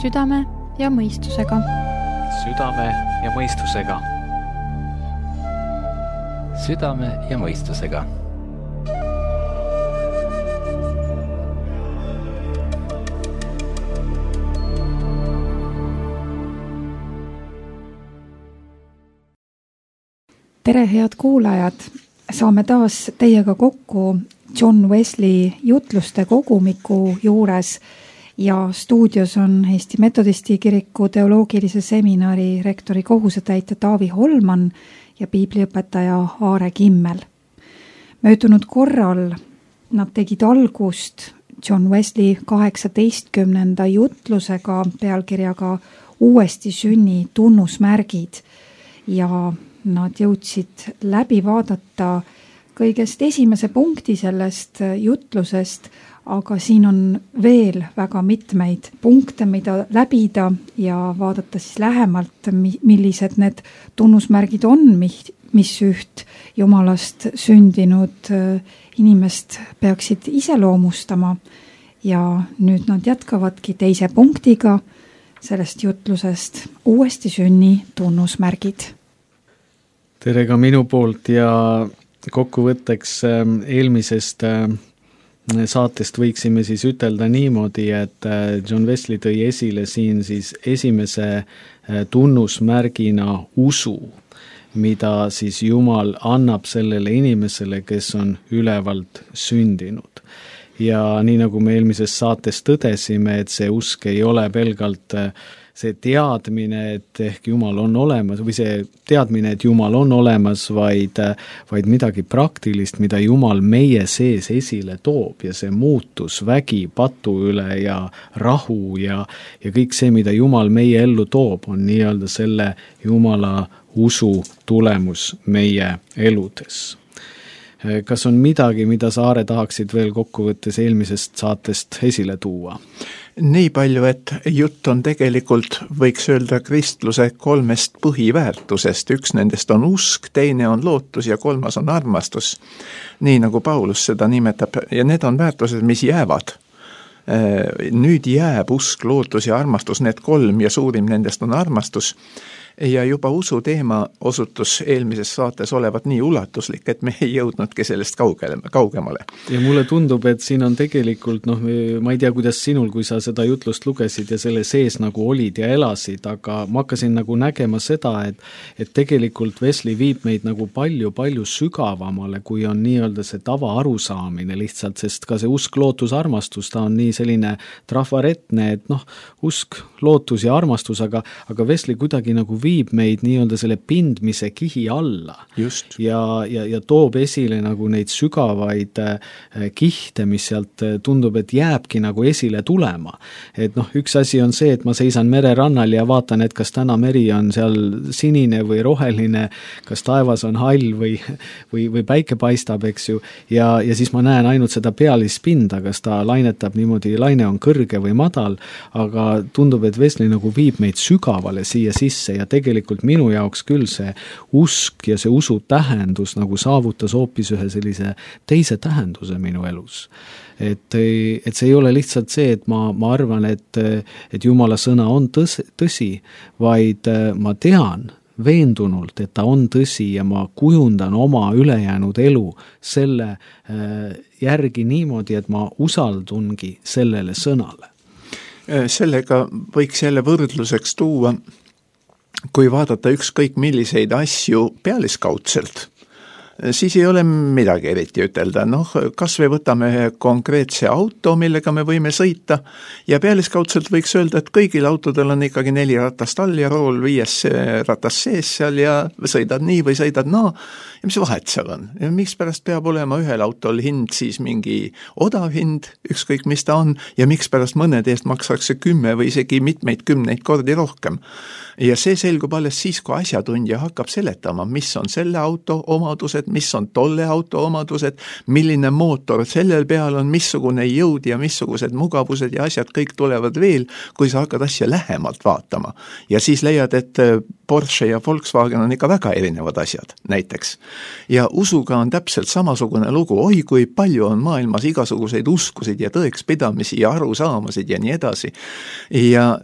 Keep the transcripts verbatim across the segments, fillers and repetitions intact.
südame ja mõistusega. Südame ja mõistusega. Südame ja mõistusega. Tere, head kuulajad! Saame taas teiega kokku John Wesley jutluste kogumiku juures ja stuudios on Eesti Metodisti kiriku teoloogilise seminari rektori kohusetäitja Taavi Holman ja piibliõpetaja Aare Kimmel. Möödunud korral nad tegid algust John Wesley kaheksateistkümnenda jutlusega pealkirjaga Uuesti sünni tunnusmärgid ja nad jõudsid läbi vaadata kõigest esimese punkti sellest jutlusest, aga siin on veel väga mitmeid punkte, mida läbida ja vaadata siis lähemalt, millised need tunnusmärgid on, mis üht Jumalast sündinud inimest peaksid iseloomustama. Ja nüüd nad jätkavadki teise punktiga sellest jutlusest Uuesti sünni tunnusmärgid. Tere ka minu poolt ja kokkuvõtteks eelmisest saatest võiksime siis ütelda niimoodi, et John Wesley tõi esile siin siis esimese tunnusmärgina usu, mida siis Jumal annab sellele inimesele, kes on ülevalt sündinud. Ja nii nagu me eelmises saates tõdesime, et see usk ei ole pelgalt see teadmine, et ehk Jumal on olemas või see teadmine, et Jumal on olemas, vaid, vaid midagi praktilist, mida Jumal meie sees esile toob ja see muutus vägi patu üle ja rahu ja, ja kõik see, mida Jumal meie ellu toob, on nii-öelda selle Jumala usu tulemus meie eludes. Kas on midagi, mida sa, Aare, tahaksid veel kokkuvõttes eelmisest saatest esile tuua? Nii palju, et jutt on tegelikult, võiks öelda, kristluse kolmest põhiväärtusest. Üks nendest on usk, teine on lootus ja kolmas on armastus. Nii nagu Paulus seda nimetab. Ja need on väärtused, mis jäävad. Nüüd jääb usk, lootus ja armastus, need kolm ja suurim nendest on armastus. Ja juba usu teema osutus eelmises saates olevat nii ulatuslik, et me ei jõudnudki sellest kaugele, kaugemale. Ja mulle tundub, et siin on tegelikult, noh, ma ei tea, kuidas sinul, kui sa seda jutlust lugesid ja selle sees nagu olid ja elasid, aga ma hakkasin nagu nägema seda, et, et tegelikult Wesley viib meid nagu palju-palju sügavamale, kui on nii-öelda see tava arusaamine lihtsalt, sest ka see usk, lootus, armastus, ta on nii selline trafaretne, et noh, usk, lootus ja armastus, aga, aga Wesley kuidagi nagu viib meid nii-öelda selle pindmise kihi alla. Just. Ja, ja, ja toob esile nagu neid sügavaid kihte, mis sealt tundub, et jääbki nagu esile tulema. Et noh, üks asi on see, et ma seisan mererannal ja vaatan, et kas täna meri on seal sinine või roheline, kas taevas on hall või, või, või päike paistab, eks ju, ja, ja siis ma näen ainult seda pealispinda, kas ta lainetab niimoodi, laine on kõrge või madal, aga tundub, et Wesley nagu viib meid sügavale siia sisse ja tegelikult minu jaoks küll see usk ja see usu tähendus nagu saavutas hoopis ühe sellise teise tähenduse minu elus. Et, et see ei ole lihtsalt see, et ma, ma arvan, et, et Jumala sõna on tõsi, tõsi, vaid ma tean veendunult, et ta on tõsi ja ma kujundan oma ülejäänud elu selle järgi niimoodi, et ma usaldungi sellele sõnale. Sellega võiks jälle võrdluseks tuua, kui vaadata ükskõik milliseid asju pealiskaudselt, siis ei ole midagi eriti ütelda. Noh, kas või võtame konkreetse auto, millega me võime sõita ja pealiskaudselt võiks öelda, et kõigil autodel on ikkagi neli ratast all ja rool viies ratas sees seal ja sõidad nii või sõidad naa. Ja mis vahet seal on? Ja miks pärast peab olema ühel autol hind siis mingi odav hind, ükskõik mis ta on, ja miks pärast mõned eest maksakse kümme või isegi mitmeid kümneid kordi rohkem. Ja see selgub alles siis, kui asjatundja hakkab seletama, mis on selle auto omadused, omadused, mis on tolle auto omadused, milline mootor sellel peal on, missugune jõud ja missugused mugavused ja asjad kõik tulevad veel, kui sa hakkad asja lähemalt vaatama. Ja siis leiad, et Porsche ja Volkswagen on ikka väga erinevad asjad, näiteks. Ja usuga on täpselt samasugune lugu, oi kui palju on maailmas igasuguseid uskusid ja tõekspidamisi ja arusaamasid ja nii edasi. Ja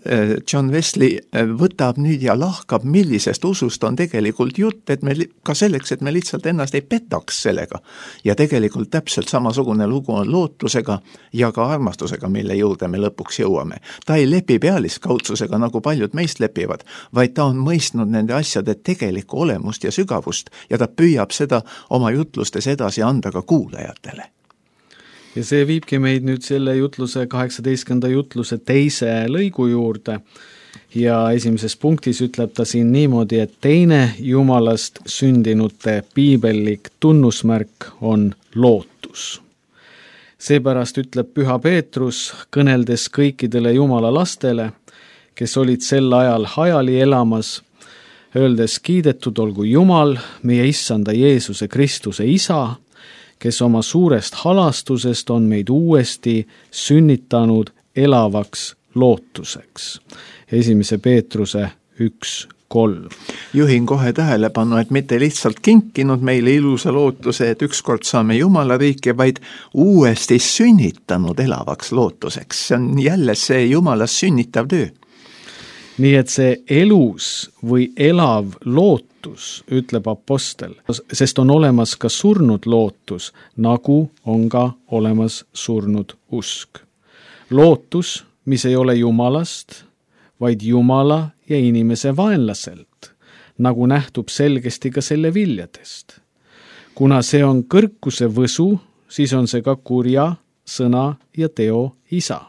John Wesley võtab nüüd ja lahkab, millisest usust on tegelikult jutt, et me ka selleks, et me lihtsalt ennast ei petaks sellega. Ja tegelikult täpselt samasugune lugu on lootusega ja ka armastusega, mille juurde me lõpuks jõuame. Ta ei lepi pealiskaudsusega, nagu paljud meist lepivad, vaid ta on mõistnud nende asjade tegelikku olemust ja sügavust ja ta püüab seda oma jutlustes edasi anda ka kuulajatele. Ja see viibki meid nüüd selle jutluse, kaheksateistkümnenda jutluse teise lõigu juurde ja esimeses punktis ütleb ta siin niimoodi, et teine Jumalast sündinute piibellik tunnusmärk on lootus. Seepärast ütleb Püha Peetrus, kõneldes kõikidele Jumala lastele, kes olid sel ajal hajali elamas, öeldes kiidetud olgu Jumal, meie issanda Jeesuse Kristuse isa, kes oma suurest halastusest on meid uuesti sünnitanud elavaks lootuseks. Esimese Peetruse üks kolm. Juhin kohe tähelepanu, et mitte lihtsalt kinkinud meile ilusa lootuse, et ükskord saame Jumala riiki, vaid uuesti sünnitanud elavaks lootuseks. See on jälle see Jumalas sünnitav töö. Nii et see elus või elav lootus, ütleb apostel, sest on olemas ka surnud lootus, nagu on ka olemas surnud usk. Lootus, mis ei ole Jumalast, vaid Jumala ja inimese vaenlaselt, nagu nähtub selgesti ka selle viljadest. Kuna see on kõrkuse võsu, siis on see ka kurja, sõna ja teo isa.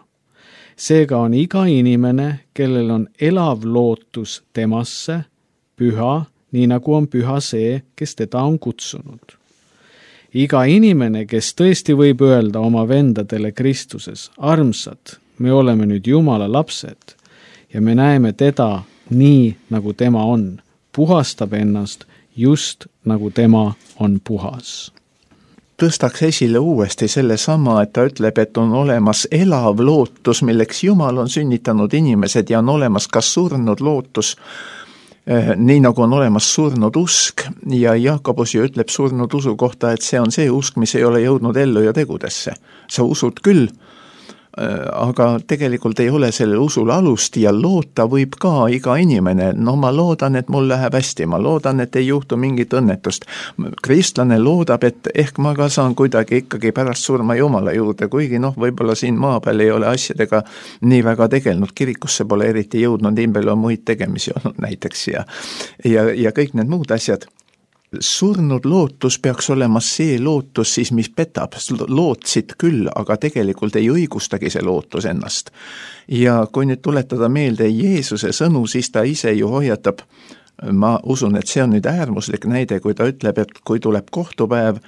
Seega on iga inimene, kellel on elav lootus temasse, püha, nii nagu on püha see, kes teda on kutsunud. Iga inimene, kes tõesti võib öelda oma vendadele Kristuses, armsad, me oleme nüüd Jumala lapsed ja me näeme teda nii, nagu tema on, puhastab ennast just nagu tema on puhas. Tõstaks esile uuesti selle sama, et ta ütleb, et on olemas elav lootus, milleks Jumal on sünnitanud inimesed ja on olemas ka surnud lootus, nii nagu on olemas surnud usk ja Jaakobus ju ütleb surnud usu kohta, et see on see usk, mis ei ole jõudnud ellu ja tegudesse. Sa usud küll, aga tegelikult ei ole sellel usul alust ja loota võib ka iga inimene. No ma loodan, et mul läheb hästi, ma loodan, et ei juhtu mingit õnnetust. Kristlane loodab, et ehk ma ka saan kuidagi ikkagi pärast surma Jumala juurde, kuigi noh, võib-olla siin maa peal ei ole asjadega nii väga tegelnud, kirikusse pole eriti jõudnud, nii palju on muid tegemisi olnud näiteks ja, ja, ja kõik need muud asjad. Surnud lootus peaks olema see lootus siis, mis petab, lootsid küll, aga tegelikult ei õigustagi see lootus ennast. Ja kui nüüd tuletada meelde Jeesuse sõnu, siis ta ise ju hoiatab, ma usun, et see on nüüd äärmuslik näide, kui ta ütleb, et kui tuleb kohtupäev,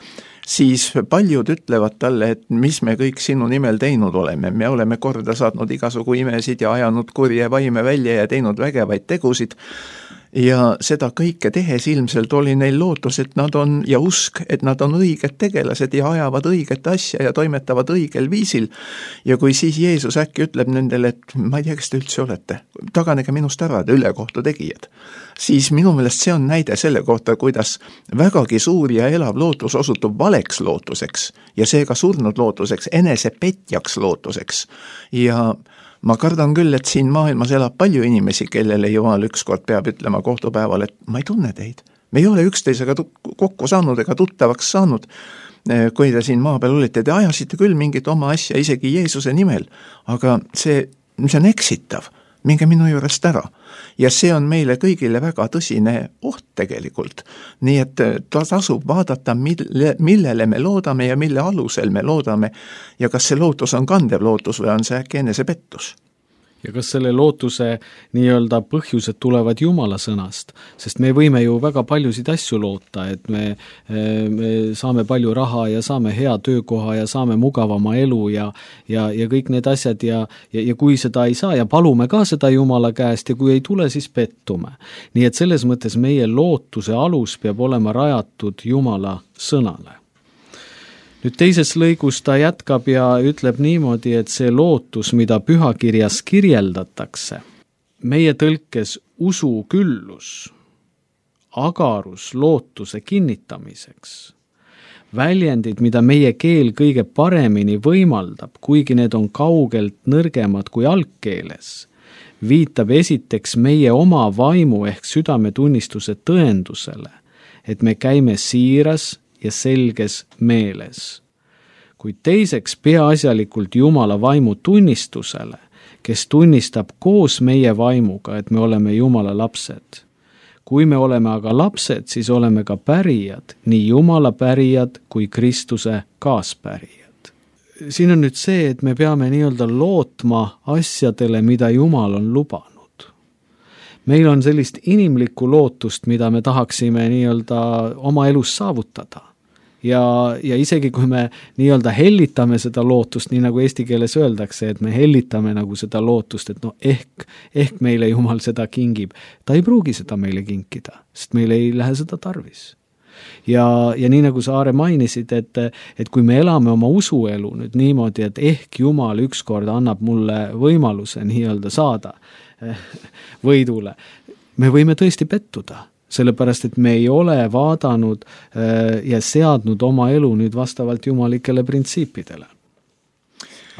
siis paljud ütlevad talle, et mis me kõik sinu nimel teinud oleme. Me oleme korda saatnud igasugu imesid ja ajanud kurje vaime välja ja teinud vägevaid tegusid. Ja seda kõike tehes ilmselt oli neil lootus, et nad on, ja usk, et nad on õiged tegelased ja ajavad õiget asja ja toimetavad õigel viisil. Ja kui siis Jeesus äkki ütleb nendele, et ma ei tea, kes te üldse olete, taganege minust ära, te ülekohtu tegijad, siis minu meelest see on näide selle kohta, kuidas vägagi suur ja elav lootus osutub valeks lootuseks ja seega surnud lootuseks, enesepetjaks lootuseks. Ja ma kardan küll, et siin maailmas elab palju inimesi, kellele Jumal ükskord peab ütlema kohtupäeval, et ma ei tunne teid. Me ei ole üksteisega kokku saanud ega tuttavaks saanud, kui te siin maa peal olite. Te ajasite küll mingit oma asja isegi Jeesuse nimel, aga see, see on eksitav. Minge minu juurest ära. Ja see on meile kõigile väga tõsine oht tegelikult. Nii et ta tasub vaadata, mille, millele me loodame ja mille alusel me loodame ja kas see lootus on kandev lootus või on see äkki enesepettus. ja kas selle lootuse nii-öelda põhjused tulevad Jumala sõnast, sest me võime ju väga paljusid asju loota, et me, me saame palju raha ja saame hea töökoha ja saame mugavama elu ja, ja, ja kõik need asjad ja, ja, ja kui seda ei saa ja palume ka seda Jumala käest ja kui ei tule, siis pettume. Nii et selles mõttes meie lootuse alus peab olema rajatud Jumala sõnale. Nüüd teises lõigus ta jätkab ja ütleb niimoodi, et see lootus, mida pühakirjas kirjeldatakse, meie tõlkes usu küllus, agarus lootuse kinnitamiseks, väljendid, mida meie keel kõige paremini võimaldab, kuigi need on kaugelt nõrgemad kui algkeeles, viitab esiteks meie oma vaimu ehk südametunnistuse tõendusele, et me käime siiras ja selges meeles. Kuid teiseks peaasjalikult Jumala vaimu tunnistusele, kes tunnistab koos meie vaimuga, et me oleme Jumala lapsed. Kui me oleme aga lapsed, siis oleme ka pärijad, nii Jumala pärijad kui Kristuse kaaspärijad. Siin on nüüd see, et me peame nii-öelda lootma asjadele, mida Jumal on lubanud. Meil on sellist inimlikku lootust, mida me tahaksime nii-öelda oma elus saavutada. Ja, ja isegi kui me nii-öelda hellitame seda lootust, nii nagu eesti keeles öeldakse, et me hellitame nagu seda lootust, et no ehk, ehk meile Jumal seda kingib. Ta ei pruugi seda meile kinkida, sest meil ei lähe seda tarvis. Ja, ja nii nagu sa, Aare, mainisid, et, et kui me elame oma usuelu nüüd niimoodi, et ehk Jumal ükskord annab mulle võimaluse nii-öelda saada võidule, me võime tõesti pettuda. Sellepärast, et me ei ole vaadanud ja seadnud oma elu nüüd vastavalt jumalikele printsiipidele.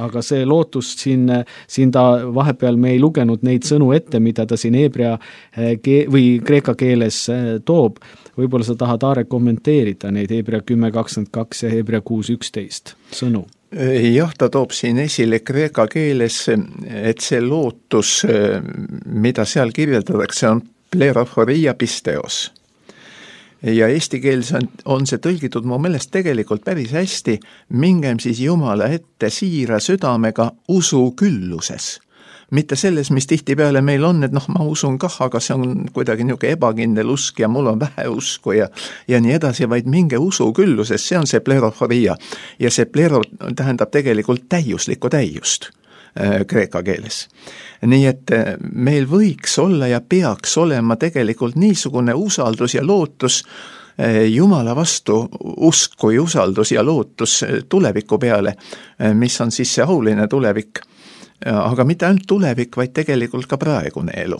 Aga see lootus siin, siin ta vahepeal me ei lugenud neid sõnu ette, mida ta siin heebrea ke- või kreeka keeles toob. Võib-olla sa tahad, Aare, kommenteerida neid heebrea kümme kakskümmend kaks ja heebrea kuus üksteist sõnu. Jah, ta toob siin esile kreeka keeles, et see lootus, mida seal kirjeldatakse, on plerophoria pisteos. Ja eesti keeles on, on see tõlgitud mu meelest tegelikult päris hästi, mingem siis Jumala ette siira südamega usu külluses. Mitte selles, mis tihtipeale meil on, et noh, ma usun kah, aga see on kuidagi niisugune ebakindel usk ja mul on vähe usku ja, ja nii edasi, vaid minge usu külluses, see on see plerophoria. Ja see plero tähendab tegelikult täiuslikku täiust kreeka keeles. Nii et meil võiks olla ja peaks olema tegelikult niisugune usaldus ja lootus Jumala vastu, usk kui usaldus ja lootus tuleviku peale, mis on siis see auline tulevik. Aga mitte ainult tulevik, vaid tegelikult ka praegune elu.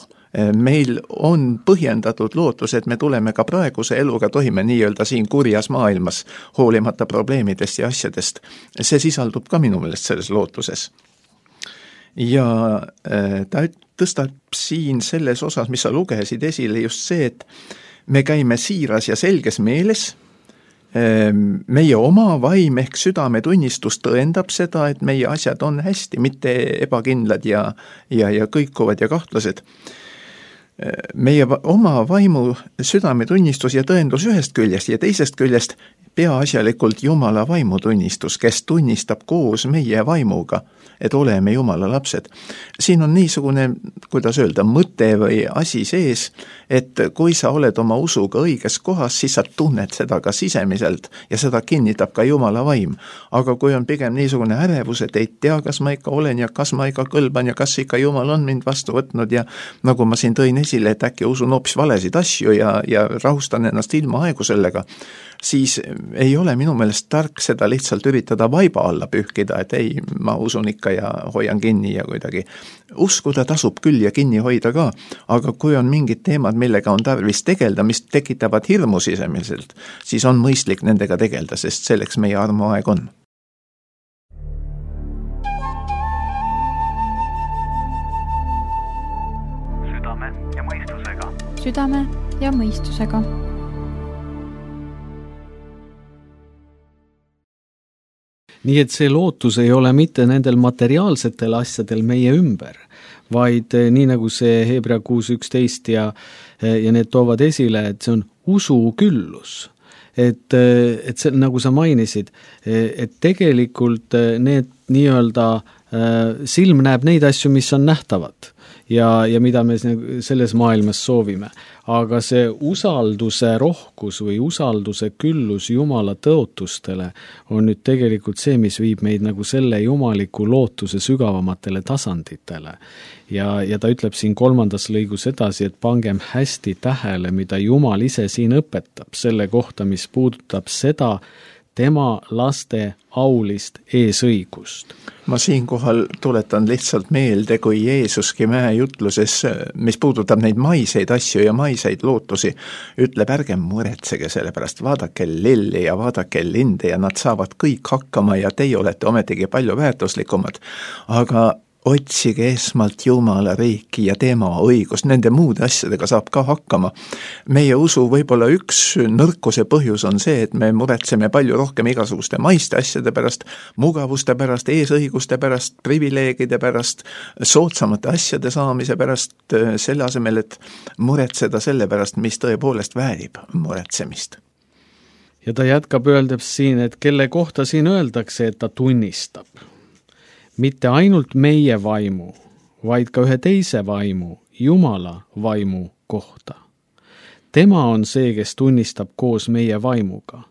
Meil on põhjendatud lootus, et me tuleme ka praeguse eluga toime nii-öelda siin kurjas maailmas, hoolimata probleemidest ja asjadest. See sisaldub ka minu meelest selles lootuses. Ja ta tõstab siin selles osas, mis sa lugesid esile, just see, et me käime siiras ja selges meeles, meie oma vaim ehk südametunnistus tõendab seda, et meie asjad on hästi, mitte ebakindlad ja, ja, ja kõikuvad ja kahtlased. Meie oma vaimu südametunnistus ja tõendus ühest küljest ja teisest küljest peaasjalikult Jumala vaimutunnistus, kes tunnistab koos meie vaimuga, et oleme Jumala lapsed. Siin on niisugune, kuidas öelda, mõte või asi sees, et kui sa oled oma usuga õiges kohas, siis sa tunned seda ka sisemiselt ja seda kinnitab ka Jumala vaim. Aga kui on pigem niisugune ärevus, et ei tea, kas ma ikka olen ja kas ma ikka kõlban ja kas ikka Jumal on mind vastu võtnud ja nagu ma siin tõin esile, et äkki usun hoopis valesid asju ja, ja rahustan ennast ilma aegu sellega, siis ei ole minu meelest tark seda lihtsalt üritada vaiba alla pühkida, et ei, ma usun ikka ja hoian kinni ja kuidagi. Uskuda tasub küll ja kinni hoida ka, aga kui on mingid teemad, millega on tarvis tegelda, mis tekitavad hirmu sisemiselt, siis on mõistlik nendega tegelda, sest selleks meie armuaeg on. Südame ja mõistusega. Südame ja mõistusega. Nii et see lootus ei ole mitte nendel materiaalsetel asjadel meie ümber, vaid nii nagu see heebrea kuus üksteist ja, ja need toovad esile, et see on usu küllus. Et, et see, nagu sa mainisid, et tegelikult need nii-öelda silm näeb neid asju, mis on nähtavad ja, ja mida me selles maailmas soovime. Aga see usalduse rohkus või usalduse küllus Jumala tõotustele on nüüd tegelikult see, mis viib meid nagu selle jumaliku lootuse sügavamatele tasanditele. Ja, ja ta ütleb siin kolmandas lõigus edasi, et pangem hästi tähele, mida Jumal ise siin õpetab selle kohta, mis puudutab seda, tema laste aulist eesõigust. Ma siinkohal tuletan lihtsalt meelde, kui Jeesuski mäe jutluses, mis puudutab neid maiseid asju ja maiseid lootusi, ütleb, ärge muretsege selle pärast, vaadake lilli ja vaadake linde ja nad saavad kõik hakkama ja teie olete ometigi palju väärtuslikumad. Aga otsige esmalt Jumala riiki ja tema õigust, nende muude asjadega saab ka hakkama. Meie usu võib-olla üks nõrkuse põhjus on see, et me muretseme palju rohkem igasuguste maiste asjade pärast, mugavuste pärast, eesõiguste pärast, privileegide pärast, soodsamate asjade saamise pärast, selle asemel, et muretseda selle pärast, mis tõepoolest väärib muretsemist. Ja ta jätkab öeldes siin, et kelle kohta siin öeldakse, et ta tunnistab. Mitte ainult meie vaimu, vaid ka ühe teise vaimu, Jumala vaimu kohta. Tema on see, kes tunnistab koos meie vaimuga.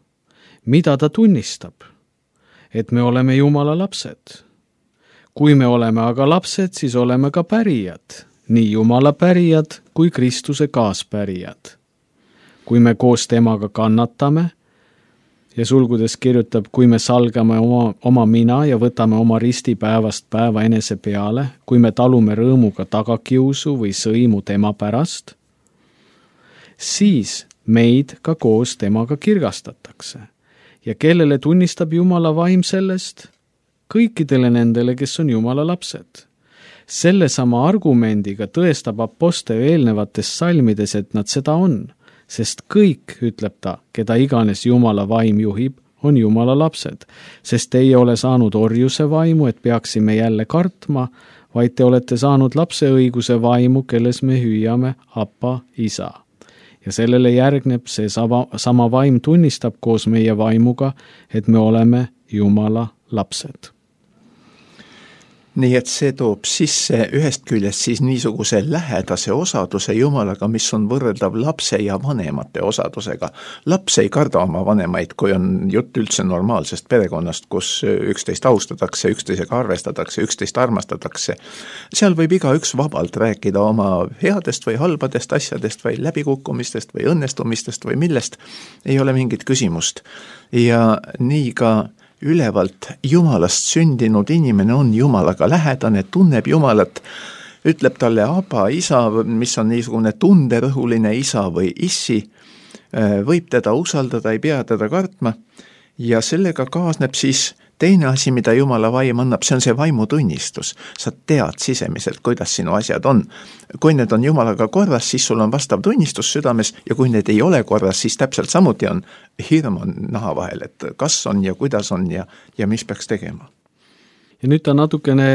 Mida ta tunnistab? Et me oleme Jumala lapsed. Kui me oleme aga lapsed, siis oleme ka pärijad, nii Jumala pärijad kui Kristuse kaaspärijad. Kui me koos temaga kannatame, ja sulgudes kirjutab, kui me salgame oma, oma mina ja võtame oma risti päevast päeva enese peale, kui me talume rõõmuga tagakiusu või sõimu tema pärast, siis meid ka koos temaga kirgastatakse. Ja kellele tunnistab Jumala vaim sellest? Kõikidele nendele, kes on Jumala lapsed. Selle sama argumendiga tõestab apostel eelnevates salmides, et nad seda on. Sest kõik, ütleb ta, keda iganes Jumala vaim juhib, on Jumala lapsed. Sest te ei ole saanud orjuse vaimu, et peaksime jälle kartma, vaid te olete saanud lapseõiguse vaimu, kelles me hüüame Appa, Isa. Ja sellele järgneb see sama, sama vaim tunnistab koos meie vaimuga, et me oleme Jumala lapsed. Nii et see toob sisse ühest küljest siis niisuguse lähedase osaduse Jumalaga, mis on võrreldav lapse ja vanemate osadusega. Laps ei karda oma vanemaid, kui on jutt üldse normaalsest perekonnast, kus üksteist austatakse, üksteisega arvestatakse, üksteist armastatakse. Seal võib igaüks vabalt rääkida oma headest või halbadest asjadest või läbikukkumistest või õnnestumistest või millest. Ei ole mingit küsimust. Ja nii ka ülevalt Jumalast sündinud inimene on Jumalaga lähedane, tunneb Jumalat, ütleb talle Aba, Isa, mis on niisugune tunderõhuline isa või issi, võib teda usaldada, ei pea teda kartma ja sellega kaasneb siis teine asi, mida Jumala vaim annab, see on see vaimutunnistus. Sa tead sisemiselt, kuidas sinu asjad on. Kui need on Jumalaga korras, siis sul on vastav tunnistus südames ja kui need ei ole korras, siis täpselt samuti on hirm on naha vahel, et kas on ja kuidas on ja, ja mis peaks tegema. Ja nüüd ta natukene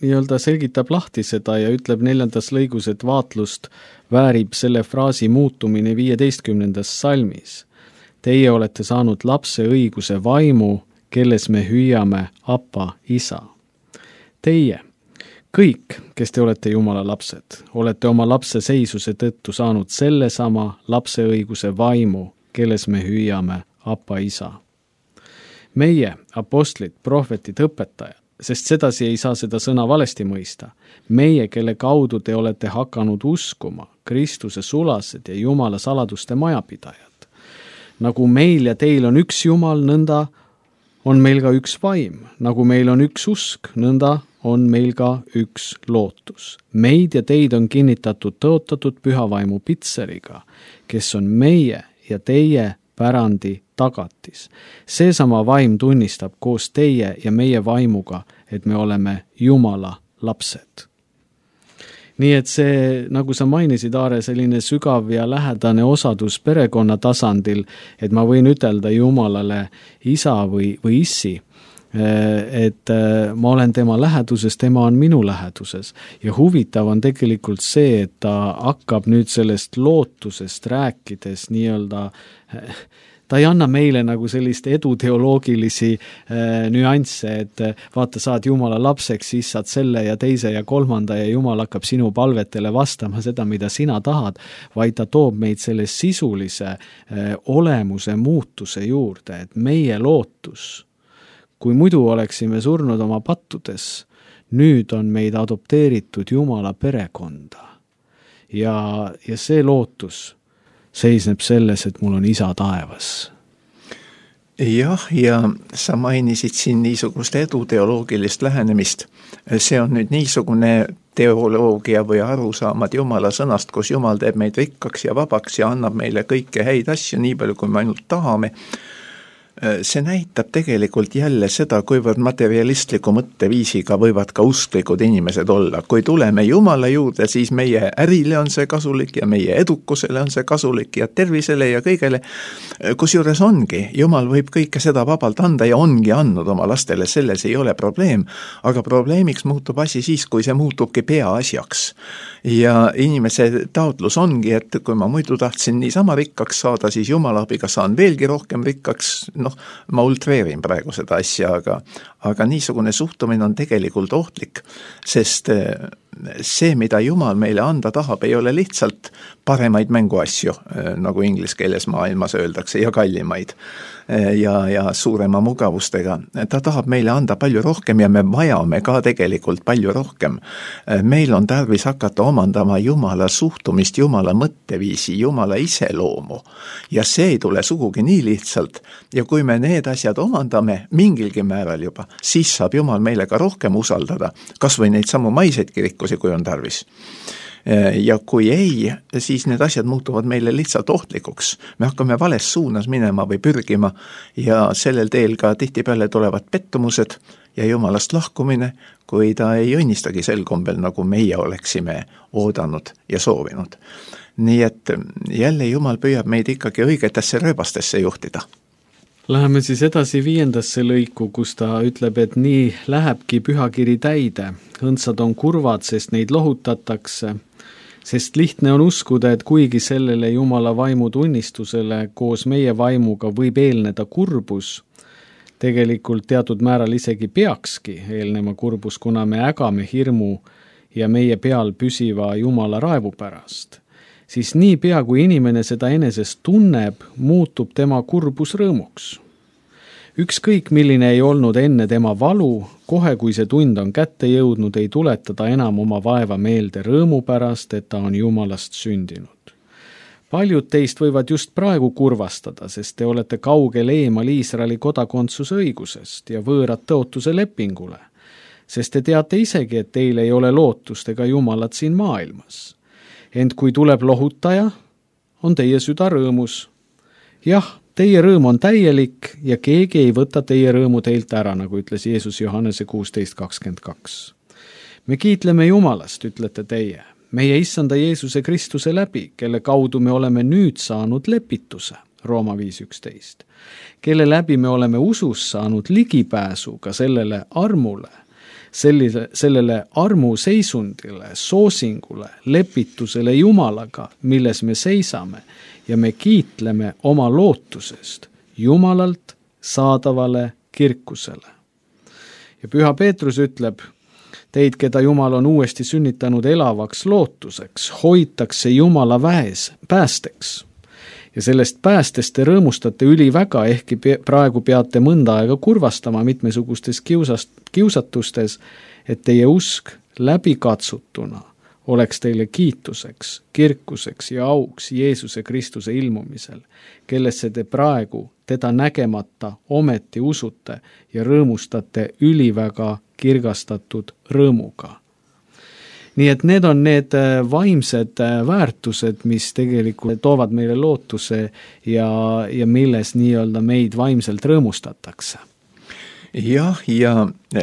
nii-öelda selgitab lahti seda ja ütleb neljandas lõigus, et vaatlust väärib selle fraasi muutumine viieteistkümnendas salmis. Teie olete saanud lapse õiguse vaimu, kelles me hüüame Appa, Isa. Teie, kõik, kes te olete Jumala lapsed, olete oma lapse seisuse tõttu saanud sellesama lapse õiguse vaimu, kelles me hüüame Appa, Isa. Meie, apostlid, prohvetid, õpetajad, sest sedasi ei saa seda sõna valesti mõista. Meie, kelle kaudu te olete hakanud uskuma, Kristuse sulased ja Jumala saladuste majapidajad. Nagu meil ja teil on üks Jumal, nõnda on meil ka üks vaim, nagu meil on üks usk, nõnda on meil ka üks lootus. Meid ja teid on kinnitatud tõotatud pühavaimu pitseriga, kes on meie ja teie pärandi tagatis. Seesama vaim tunnistab koos teie ja meie vaimuga, et me oleme Jumala lapsed. Nii et see, nagu sa mainisid, Aare, selline sügav ja lähedane osadus perekonna tasandil, et ma võin ütelda Jumalale isa või, või issi, et ma olen tema läheduses, tema on minu läheduses. Ja huvitav on tegelikult see, et ta hakkab nüüd sellest lootusest rääkides nii-öelda ta ei anna meile nagu sellist eduteoloogilisi äh, nüansse, et vaata, saad Jumala lapseks, siis saad selle ja teise ja kolmanda ja Jumal hakkab sinu palvetele vastama seda, mida sina tahad, vaid ta toob meid selle sisulise äh, olemuse muutuse juurde, et meie lootus, kui muidu oleksime surnud oma pattudes, nüüd on meid adopteeritud Jumala perekonda. Ja, ja see lootus seisneb selles, et mul on isa taevas. Jah, ja sa mainisid siin niisugust eduteoloogilist lähenemist. See on nüüd niisugune teoloogia või arusaamad Jumala sõnast, kus Jumal teeb meid rikkaks ja vabaks ja annab meile kõike häid asju, nii palju kui me ainult tahame. See näitab tegelikult jälle seda, kuivõrd materialistliku mõtteviisiga võivad ka usklikud inimesed olla. Kui tuleme Jumala juurde, siis meie ärile on see kasulik ja meie edukusele on see kasulik ja tervisele ja kõigele. Kusjuures ongi, Jumal võib kõike seda vabalt anda ja ongi andnud oma lastele, selles ei ole probleem. Aga probleemiks muutub asi siis, kui see muutubki peaasjaks. Ja inimese taotlus ongi, et kui ma muidu tahtsin niisama rikkaks saada, siis Jumala abiga saan veelgi rohkem rikkaks. Noh, ma ultreerin praegu seda asja, aga, aga niisugune suhtumine on tegelikult ohtlik, sest see, mida Jumal meile anda tahab, ei ole lihtsalt paremaid mänguasju, nagu inglise keeles maailmas öeldakse, ja kallimaid ja, ja suurema mugavustega. Ta tahab meile anda palju rohkem ja me vajame ka tegelikult palju rohkem. Meil on tarvis hakata omandama Jumala suhtumist, Jumala mõtteviisi, Jumala iseloomu. Ja see ei tule sugugi nii lihtsalt. Ja kui me need asjad omandame mingilgi määral juba, siis saab Jumal meile ka rohkem usaldada, kas või neid samu maiseid kirikusi, kui on tarvis. Ja kui ei, siis need asjad muutuvad meile lihtsalt ohtlikuks. Me hakkame vales suunas minema või pürgima ja sellel teel ka tihtipeale tulevad pettumused ja Jumalast lahkumine, kui ta ei õnnistagi sel kombel, nagu meie oleksime oodanud ja soovinud. Nii et jälle Jumal püüab meid ikkagi õigetesse rööbastesse juhtida. Läheme siis edasi viiendasse lõiku, kus ta ütleb, et nii lähebki pühakiri täide. Õndsad on kurvad, sest neid lohutatakse, sest lihtne on uskuda, et kuigi sellele Jumala vaimu tunnistusele koos meie vaimuga võib eelneda kurbus, tegelikult teatud määral isegi peakski eelnema kurbus, kuna me ägame hirmu ja meie peal püsiva Jumala raevu pärast, siis nii pea, kui inimene seda enesest tunneb, muutub tema kurbus rõõmuks. Ükskõik, milline ei olnud enne tema valu, kohe kui see tund on kätte jõudnud, ei tuleta ta enam oma vaeva meelde rõõmu pärast, et ta on Jumalast sündinud. Paljud teist võivad just praegu kurvastada, sest te olete kaugel eemal Iisraeli kodakondsuse õigusest ja võõrad tõotuse lepingule, sest te teate isegi, et teil ei ole lootust ega Jumalat siin maailmas. Ent kui tuleb lohutaja, on teie süda rõõmus. Jah, teie rõõm on täielik ja keegi ei võta teie rõõmu teilt ära, nagu ütles Jeesus Johannese kuusteist kakskümmend kaks. Me kiitleme Jumalast, ütlete teie, meie issanda Jeesuse Kristuse läbi, kelle kaudu me oleme nüüd saanud lepituse, Rooma viis üksteist, kelle läbi me oleme usus saanud ligipääsu ka sellele armule, sellise, sellele armu seisundile, soosingule, lepitusele Jumalaga, milles me seisame ja me kiitleme oma lootusest Jumalalt saadavale kirkusele. Ja Püha Peetrus ütleb, teid, keda Jumal on uuesti sünnitanud elavaks lootuseks, hoitakse Jumala väes päästeks. Ja sellest päästest te rõõmustate üliväga, ehkki praegu peate mõnda aega kurvastama mitmesugustes kiusast, kiusatustes, et teie usk läbikatsutuna oleks teile kiituseks, kirkuseks ja auks Jeesuse Kristuse ilmumisel, kellesse te praegu teda nägemata ometi usute ja rõõmustate üliväga kirgastatud rõõmuga. Nii et need on need vaimsed väärtused, mis tegelikult toovad meile lootuse ja, ja milles nii-öelda meid vaimselt rõõmustatakse. Jah, ja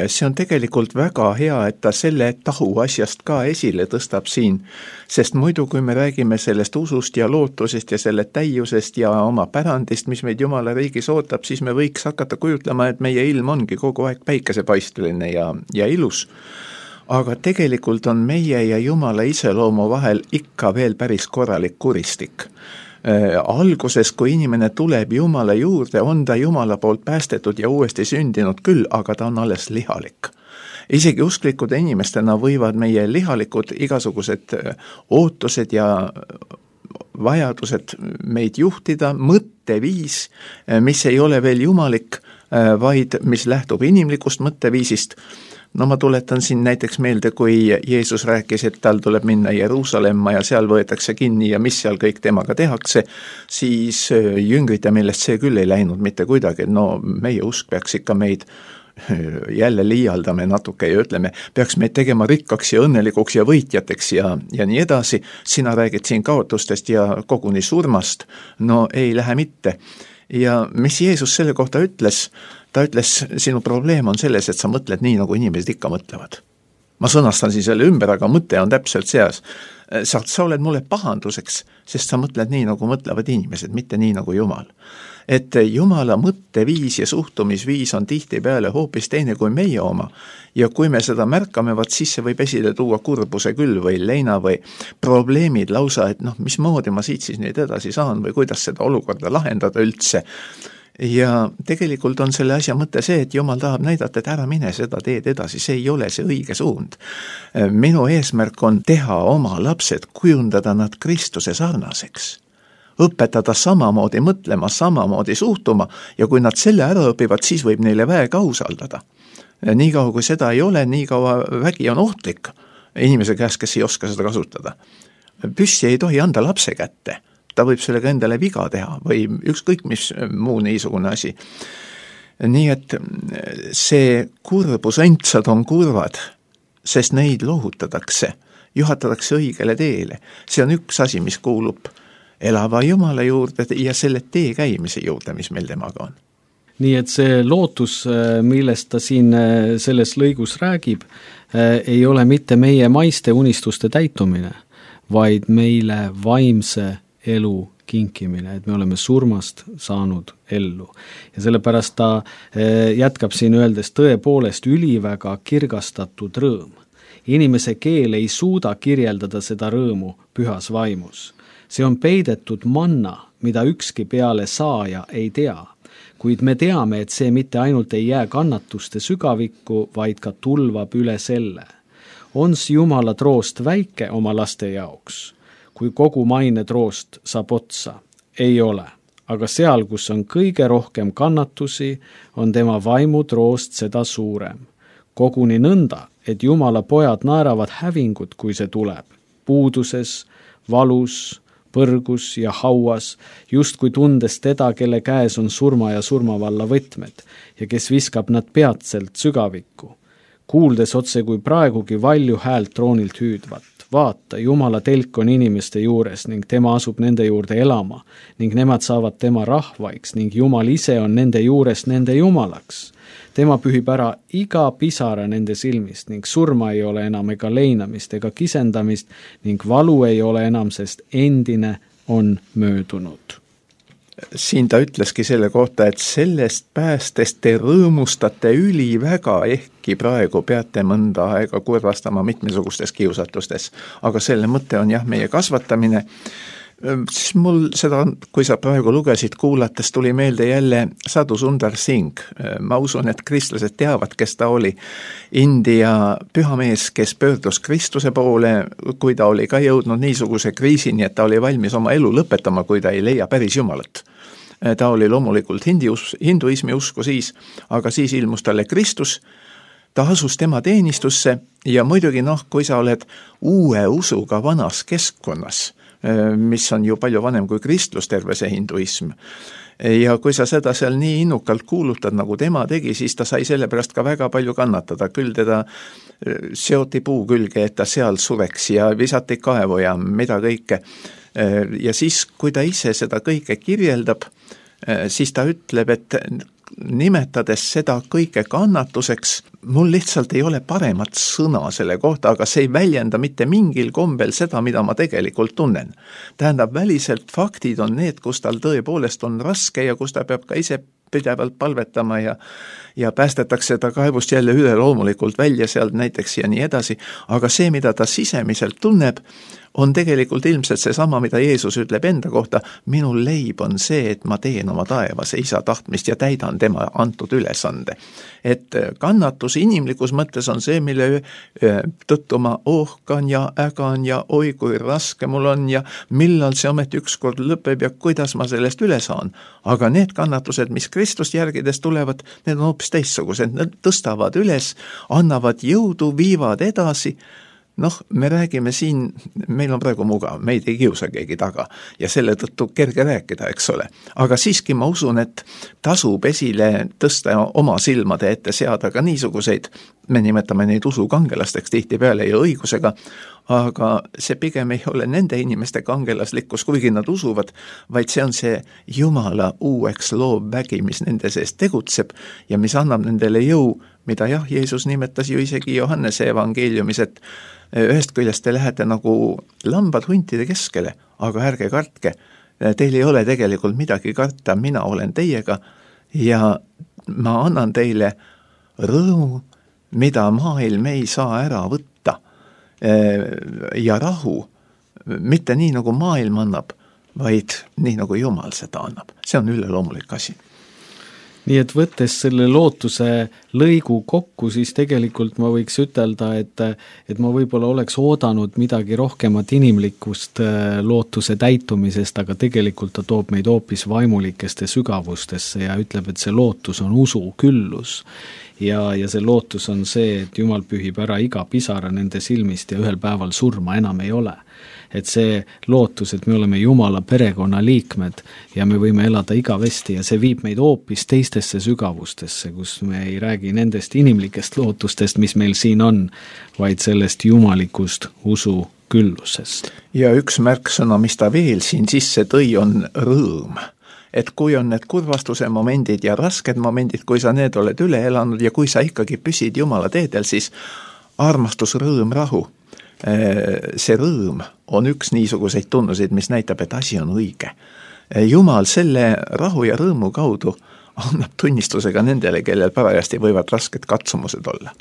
see on tegelikult väga hea, et ta selle tahu asjast ka esile tõstab siin, sest muidu kui me räägime sellest usust ja lootusest ja selle täiusest ja oma pärandist, mis meid Jumala riigis ootab, siis me võiks hakata kujutlema, et meie ilm ongi kogu aeg päikesepaisteline ja, ja ilus. aga tegelikult on meie ja Jumala iseloomu vahel ikka veel päris korralik kuristik. Äh, alguses, kui inimene tuleb Jumala juurde, on ta Jumala poolt päästetud ja uuesti sündinud küll, aga ta on alles lihalik. Isegi usklikud inimestena võivad meie lihalikud igasugused ootused ja vajadused meid juhtida, mõtteviis, mis ei ole veel jumalik, vaid mis lähtub inimlikust mõtteviisist. No ma tuletan siin näiteks meelde, kui Jeesus rääkis, et tal tuleb minna Jeruusalemma ja seal võetakse kinni ja mis seal kõik temaga tehakse, siis jüngrite meelest see küll ei läinud mitte kuidagi. No meie usk peaks ikka meid, jälle liialdame natuke ja ütleme, peaks meid tegema rikkaks ja õnnelikuks ja võitjateks ja, ja nii edasi. Sina räägid siin kaotustest ja koguni surmast. No ei lähe mitte. Ja mis Jeesus selle kohta ütles? Ta ütles, sinu probleem on selles, et sa mõtled nii, nagu inimesed ikka mõtlevad. Ma sõnastan siin selle ümber, aga mõte on täpselt seas. Sa, sa oled mulle pahanduseks, sest sa mõtled nii, nagu mõtlevad inimesed, mitte nii, nagu Jumal. Et Jumala mõtteviis ja suhtumisviis on tihtipeale hoopis teine kui meie oma. Ja kui me seda märkame, vaat siis see võib esile tuua kurbuse küll või leina või probleemid lausa, et noh, mismoodi ma siit siis nüüd edasi saan või kuidas seda olukorda lahendada üldse. Ja tegelikult on selle asja mõte see, et Jumal tahab näidata, et ära mine seda teed edasi, see ei ole see õige suund. Minu eesmärk on teha oma lapsed, kujundada nad Kristuse sarnaseks. Õpetada samamoodi mõtlema, samamoodi suhtuma ja kui nad selle ära õpivad, siis võib neile väega usaldada. Nii kaua kui seda ei ole, nii kaua vägi on ohtlik inimese käest, kes ei oska seda kasutada. Püssi ei tohi anda lapse kätte. Ta võib sellega endale viga teha või ükskõik mis muu niisugune asi. Nii et see kurbus, õndsad on kurvad, sest neid lohutatakse, juhatatakse õigele teele. See on üks asi, mis kuulub elava Jumala juurde ja selle tee käimise juurde, mis meil temaga on. Nii et see lootus, millest ta siin selles lõigus räägib, ei ole mitte meie maiste unistuste täitumine, vaid meile vaimse elu kinkimine, et me oleme surmast saanud ellu. Ja sellepärast ta jätkab siin öeldes tõepoolest üliväga kirgastatud rõõm. Inimese keel ei suuda kirjeldada seda rõõmu pühas vaimus. See on peidetud manna, mida ükski peale saaja ei tea, kuid me teame, et see mitte ainult ei jää kannatuste sügavikku, vaid ka tulvab üle selle. Ons Jumala troost väike oma laste jaoks, kui kogu maine troost saab otsa, ei ole. Aga seal, kus on kõige rohkem kannatusi, on tema vaimu troost seda suurem. Koguni nõnda, et Jumala pojad naeravad hävingut, kui see tuleb. Puuduses, valus, põrgus ja hauas, just kui tundes teda, kelle käes on surma ja surmavalla võtmed ja kes viskab nad peatselt sügavikku. Kuuldes otse kui praegugi valju häält troonilt hüüdvat. Vaata, Jumala telk on inimeste juures ning tema asub nende juurde elama ning nemad saavad tema rahvaiks ning Jumal ise on nende juures nende Jumalaks. Tema pühib ära iga pisara nende silmist ning surma ei ole enam ega leinamist ega kisendamist ning valu ei ole enam, sest endine on möödunud. Siin ta ütleski selle kohta, et sellest päästest te rõõmustate üliväga, ehkki praegu peate mõnda aega kurvastama mitmesugustes kiusatustes. Aga selle mõte on jah, meie kasvatamine. Siis mul seda, kui sa praegu lugesid kuulates, tuli meelde jälle Sadhu Sundar Singh. Ma usun, et kristlased teavad, kes ta oli. India pühamees, kes pöördus Kristuse poole, kui ta oli ka jõudnud niisuguse kriisini, et ta oli valmis oma elu lõpetama, kui ta ei leia päris Jumalat. Ta oli loomulikult hinduismi usku siis, aga siis ilmus talle Kristus. Ta asus tema teenistusse ja muidugi noh, kui sa oled uue usuga vanas keskkonnas, mis on ju palju vanem kui kristlus, terve see hinduism. Ja kui sa seda seal nii innukalt kuulutad, nagu tema tegi, siis ta sai selle pärast ka väga palju kannatada. Küll teda seoti puu külge, et ta seal sureks ja visati kaevu ja mida kõike. Ja siis, kui ta ise seda kõike kirjeldab, siis ta ütleb, et nimetades seda kõike kannatuseks, mul lihtsalt ei ole paremat sõna selle kohta, aga see ei väljenda mitte mingil kombel seda, mida ma tegelikult tunnen. Tähendab, väliselt faktid on need, kus tal tõepoolest on raske ja kus ta peab ka ise pidevalt palvetama ja ja päästetakse ta kaevust jälle üle loomulikult välja sealt näiteks ja nii edasi, aga see, mida ta sisemiselt tunneb, on tegelikult ilmselt seesama, mida Jeesus ütleb enda kohta, minu leib on see, et ma teen oma taevase isa tahtmist ja täidan tema antud ülesande. Et kannatus inimlikus mõttes on see, mille tõttu ma ohkan ja ägan ja oi kui raske mul on ja millal see ometi ükskord lõpeb ja kuidas ma sellest üle saan. Aga need kannatused, mis Kristust järgides tulevad, need on hoopis teistsugused, need tõstavad üles, annavad jõudu, viivad edasi. Noh, me räägime siin, meil on praegu mugav, meid ei kiusa keegi taga ja selle tõttu kerge rääkida, eks ole. Aga siiski ma usun, et tasub esile tõsta oma silmade ette seada ka niisuguseid, me nimetame neid usukangelasteks tihtipeale ja õigusega, aga see pigem ei ole nende inimeste kangelaslikkus, kuigi nad usuvad, vaid see on see Jumala uueks loov vägi, mis nende sees tegutseb ja mis annab nendele jõu, mida jah, Jeesus nimetas ju isegi Johannese evangeeliumis, et ühest küljest te lähete nagu lambad huntide keskele, aga ärge kartke, teil ei ole tegelikult midagi karta, mina olen teiega ja ma annan teile rõõmu, mida maailm ei saa ära võtta ja rahu, mitte nii nagu maailm annab, vaid nii nagu Jumal seda annab. See on üleloomulik asi. Nii et võttes selle lootuse lõigu kokku, siis tegelikult ma võiks ütelda, et, et ma võib-olla oleks oodanud midagi rohkemat inimlikust lootuse täitumisest, aga tegelikult ta toob meid hoopis vaimulikeste sügavustesse ja ütleb, et see lootus on usu küllus. Ja, ja see lootus on see, et Jumal pühib ära iga pisara nende silmist ja ühel päeval surma enam ei ole. Et see lootus, et me oleme Jumala perekonna liikmed ja me võime elada igavesti ja see viib meid hoopis teistesse sügavustesse, kus me ei räägi nendest inimlikest lootustest, mis meil siin on, vaid sellest jumalikust usu küllusest. Ja üks märksõna, mis ta veel siin sisse tõi, on rõõm. Et kui on need kurvastuse momendid ja rasked momendid, kui sa need oled üle elanud ja kui sa ikkagi püsid Jumala teedel, siis armastus, rõõm, rahu. See rõõm on üks niisuguseid tunnuseid, mis näitab, et asi on õige. Jumal selle rahu ja rõõmu kaudu annab tunnistusega nendele, kellel parajasti võivad rasked katsumused olla.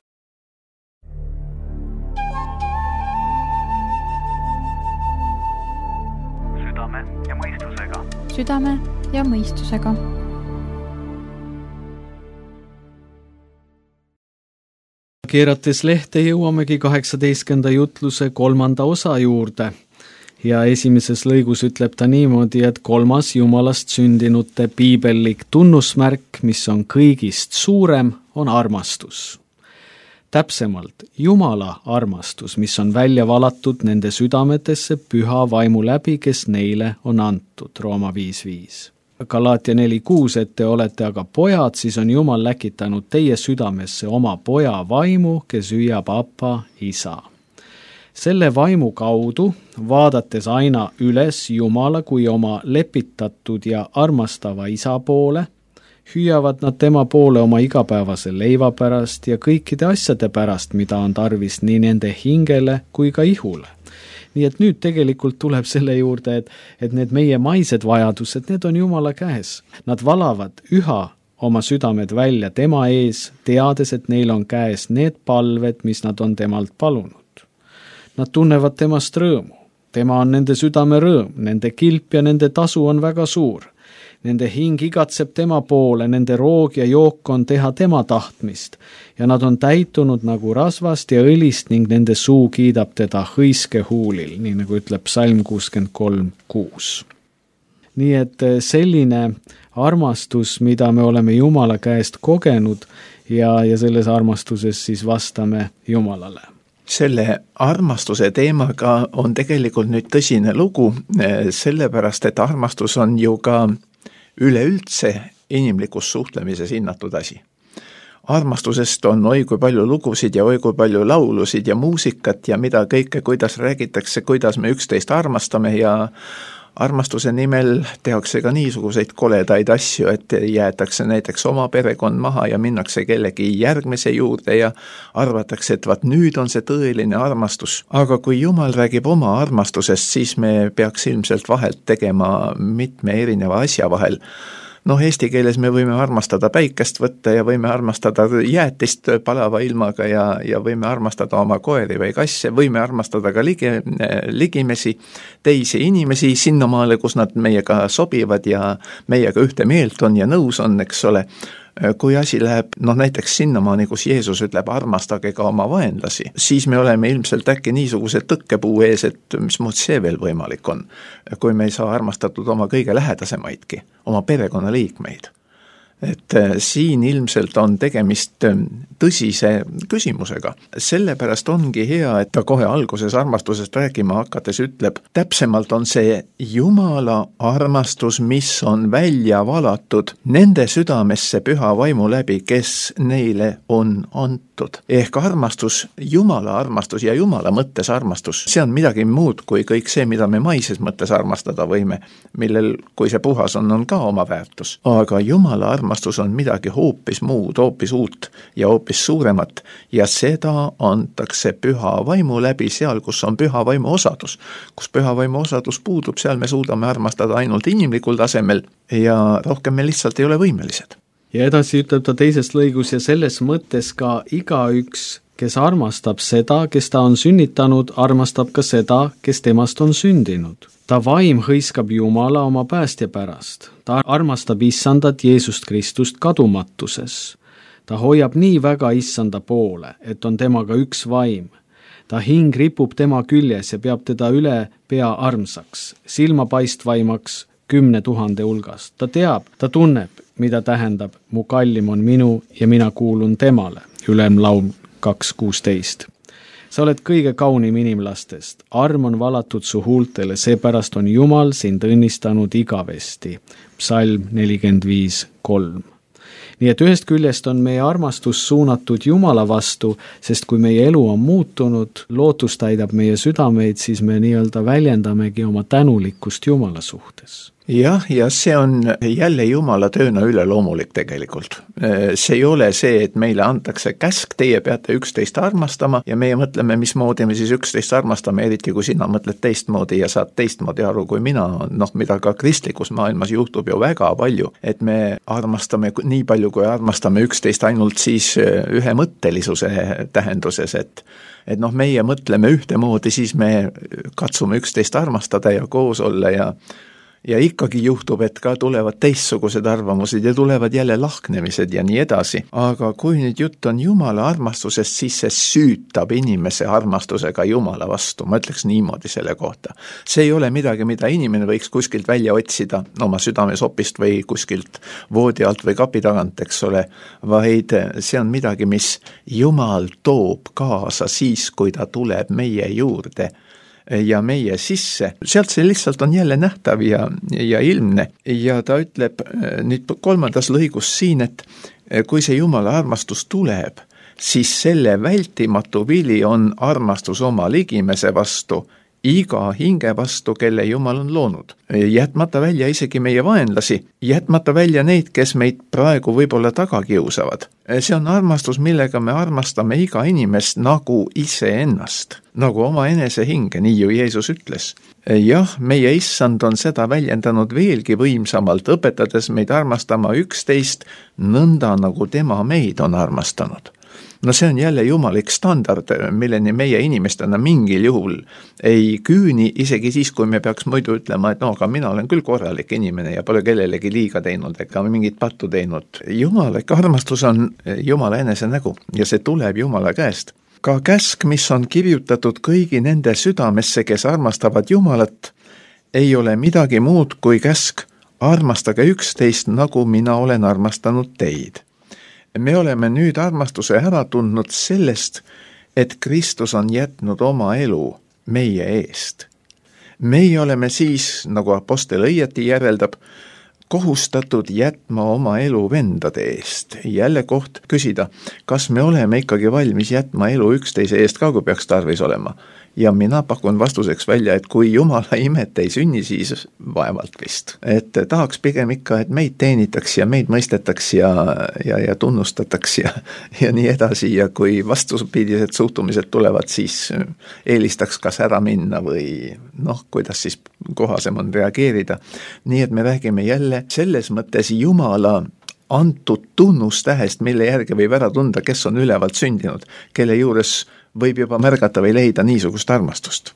Südame ja mõistusega. Südame ja mõistusega. Keerates lehte jõuamegi kaheksateistkümnenda jutluse kolmanda osa juurde ja esimeses lõigus ütleb ta niimoodi, et kolmas Jumalast sündinute piibellik tunnusmärk, mis on kõigist suurem, on armastus. Täpsemalt, Jumala armastus, mis on välja valatud nende südametesse püha vaimu läbi, kes neile on antud, Rooma viis viis. Galaatia neli kuus, et te olete aga pojad, siis on Jumal läkitanud teie südamesse oma poja vaimu, kes hüüab Appa, isa. Selle vaimu kaudu, vaadates aina üles Jumala kui oma lepitatud ja armastava isa poole, hüüavad nad tema poole oma igapäevase leiva pärast ja kõikide asjade pärast, mida on tarvis nii nende hingele kui ka ihule. Nii et nüüd tegelikult tuleb selle juurde, et, et need meie maised vajadused, need on Jumala käes. Nad valavad üha oma südamed välja tema ees, teades, et neil on käes need palved, mis nad on temalt palunud. Nad tunnevad temast rõõmu. Tema on nende südame rõõm, nende kilp ja nende tasu on väga suur. Nende hing igatseb tema poole, nende roog ja jook on teha tema tahtmist ja nad on täitunud nagu rasvast ja õlist ning nende suu kiidab teda hõiske huulil, nii nagu ütleb Psalm kuuskümmend kolm kuus. Nii et selline armastus, mida me oleme Jumala käest kogenud ja, ja selles armastuses siis vastame Jumalale. Selle armastuse teemaga on tegelikult nüüd tõsine lugu, sellepärast et armastus on ju ka üleüldse inimlikus suhtlemises hinnatud asi. Armastusest on oi kui palju lugusid ja oi kui palju laulusid ja muusikat ja mida kõike, kuidas räägitakse, kuidas me üksteist armastame ja armastuse nimel tehakse ka niisuguseid koledaid asju, et jäetakse näiteks oma perekond maha ja minnakse kellegi järgmise juurde ja arvatakse, et vaat nüüd on see tõeline armastus. Aga kui Jumal räägib oma armastusest, siis me peaks ilmselt vahelt tegema mitme erineva asja vahel. noh, eesti keeles me võime armastada päikest võtta ja võime armastada jäätist palava ilmaga ja, ja võime armastada oma koeri või kasse, võime armastada ka ligi, ligimesi, teisi inimesi sinnamaale, kus nad meiega sobivad ja meiega ühte meelt on ja nõus on, eks ole. Kui asi läheb, noh näiteks sinnamaani, kus Jeesus ütleb armastage ka oma vaenlasi, siis me oleme ilmselt äkki niisuguse tõkkepuu ees, et mis muud see veel võimalik on, kui me ei saa armastatud oma kõige lähedasemaidki, oma perekonnaliikmeid. Et siin ilmselt on tegemist tõsise küsimusega. Sellepärast ongi hea, et ta kohe alguses armastusest rääkima hakates ütleb, täpsemalt on see Jumala armastus, mis on välja valatud nende südamesse püha vaimu läbi, kes neile on antud. Ehk armastus, Jumala armastus ja Jumala mõttes armastus, see on midagi muud kui kõik see, mida me maises mõttes armastada võime, millel, kui see puhas on, on ka oma väärtus. Aga Jumala armastus on midagi hoopis muud, hoopis uut ja hoopis suuremat ja seda antakse püha vaimu läbi seal, kus on püha vaimu osadus. Kus püha vaimu osadus puudub, seal me suudame armastada ainult inimlikul tasemel ja rohkem me lihtsalt ei ole võimelised. Ja edasi ütleb ta teises lõigus ja selles mõttes ka igaüks, kes armastab seda, kes ta on sünnitanud, armastab ka seda, kes temast on sündinud. Ta vaim hõiskab Jumala oma päästja pärast. Ta armastab issandat Jeesust Kristust kadumatuses. Ta hoiab nii väga issanda poole, et on temaga üks vaim. Ta hing ripub tema küljes ja peab teda üle pea armsaks, silmapaistvaimaks kümne tuhande hulgast. Ta teab, ta tunneb, mida tähendab, mu kallim on minu ja mina kuulun temale. Ülemlaul kaks kuusteist. Sa oled kõige kaunim inimlastest, arm on valatud su huultele, seepärast on Jumal sind õnnistanud igavesti. Psalm nelikümmend viis kolm. Nii et ühest küljest on meie armastus suunatud Jumala vastu, sest kui meie elu on muutunud, lootus täidab meie südameid, siis me nii-öelda väljendamegi oma tänulikkust Jumala suhtes. Jah, ja see on jälle Jumala tööna üleloomulik tegelikult. See ei ole see, et meile antakse käsk, teie peate üksteist armastama ja meie mõtleme, mismoodi me siis üksteist armastame, eriti kui sina mõtled teistmoodi ja saad teistmoodi aru kui mina, noh mida ka kristlikus maailmas juhtub ju väga palju, et me armastame nii palju, kui armastame üksteist ainult siis ühemõttelisuse tähenduses, et et noh, meie mõtleme ühtemoodi, siis me katsume üksteist armastada ja koos olla ja Ja ikkagi juhtub, et ka tulevad teistsugused arvamused ja tulevad jälle lahknemised ja nii edasi. Aga kui nüüd jutt on Jumala armastusest, siis see süütab inimese armastusega Jumala vastu. Ma ütleks niimoodi selle kohta. See ei ole midagi, mida inimene võiks kuskilt välja otsida oma südamesopist või kuskilt voodi alt või kapi tagant, eks ole, vaid see on midagi, mis Jumal toob kaasa siis, kui ta tuleb meie juurde ja meie sisse. Sealt see lihtsalt on jälle nähtav ja, ja ilmne. Ja ta ütleb nüüd kolmandas lõigus siin, et kui see Jumala armastus tuleb, siis selle vältimatu vili on armastus oma ligimese vastu, iga hinge vastu, kelle Jumal on loonud. Jätmata välja isegi meie vaenlasi, jätmata välja neid, kes meid praegu võib-olla taga kiusavad. See on armastus, millega me armastame iga inimest nagu iseennast, nagu oma enese hinge, nii ju Jeesus ütles. Jah, meie issand on seda väljendanud veelgi võimsamalt, õpetades meid armastama üksteist nõnda, nagu tema meid on armastanud. No see on jälle jumalik standard, milleni meie inimestena mingil juhul ei küüni, isegi siis, kui me peaks muidu ütlema, et no, aga mina olen küll korralik inimene ja pole kellelegi liiga teinud ega mingit pattu teinud. Jumalik armastus on Jumala enese nägu ja see tuleb Jumala käest. Ka käsk, mis on kirjutatud kõigi nende südamesse, kes armastavad Jumalat, ei ole midagi muud kui käsk, armastage üksteist, nagu mina olen armastanud teid. Me oleme nüüd armastuse ära tundnud sellest, et Kristus on jätnud oma elu meie eest. Meie oleme siis, nagu apostel õieti järeldab, kohustatud jätma oma elu vendade eest. Jälle koht küsida, kas me oleme ikkagi valmis jätma elu üksteise eest ka, kui peaks tarvis olema. ja mina pakun vastuseks välja, et kui Jumala imet ei sünni, siis vaevalt vist. Et tahaks pigem ikka, et meid teenitaks ja meid mõistetaks ja, ja, ja tunnustataks ja, ja nii edasi, ja kui vastupidised suhtumised tulevad, siis eelistaks kas ära minna või noh, kuidas siis kohasem on reageerida. Nii et me räägime jälle selles mõttes Jumala antud tunnustähest, mille järgi võib ära tunda, kes on ülevalt sündinud, kelle juures võib juba märgata või leida niisugust armastust.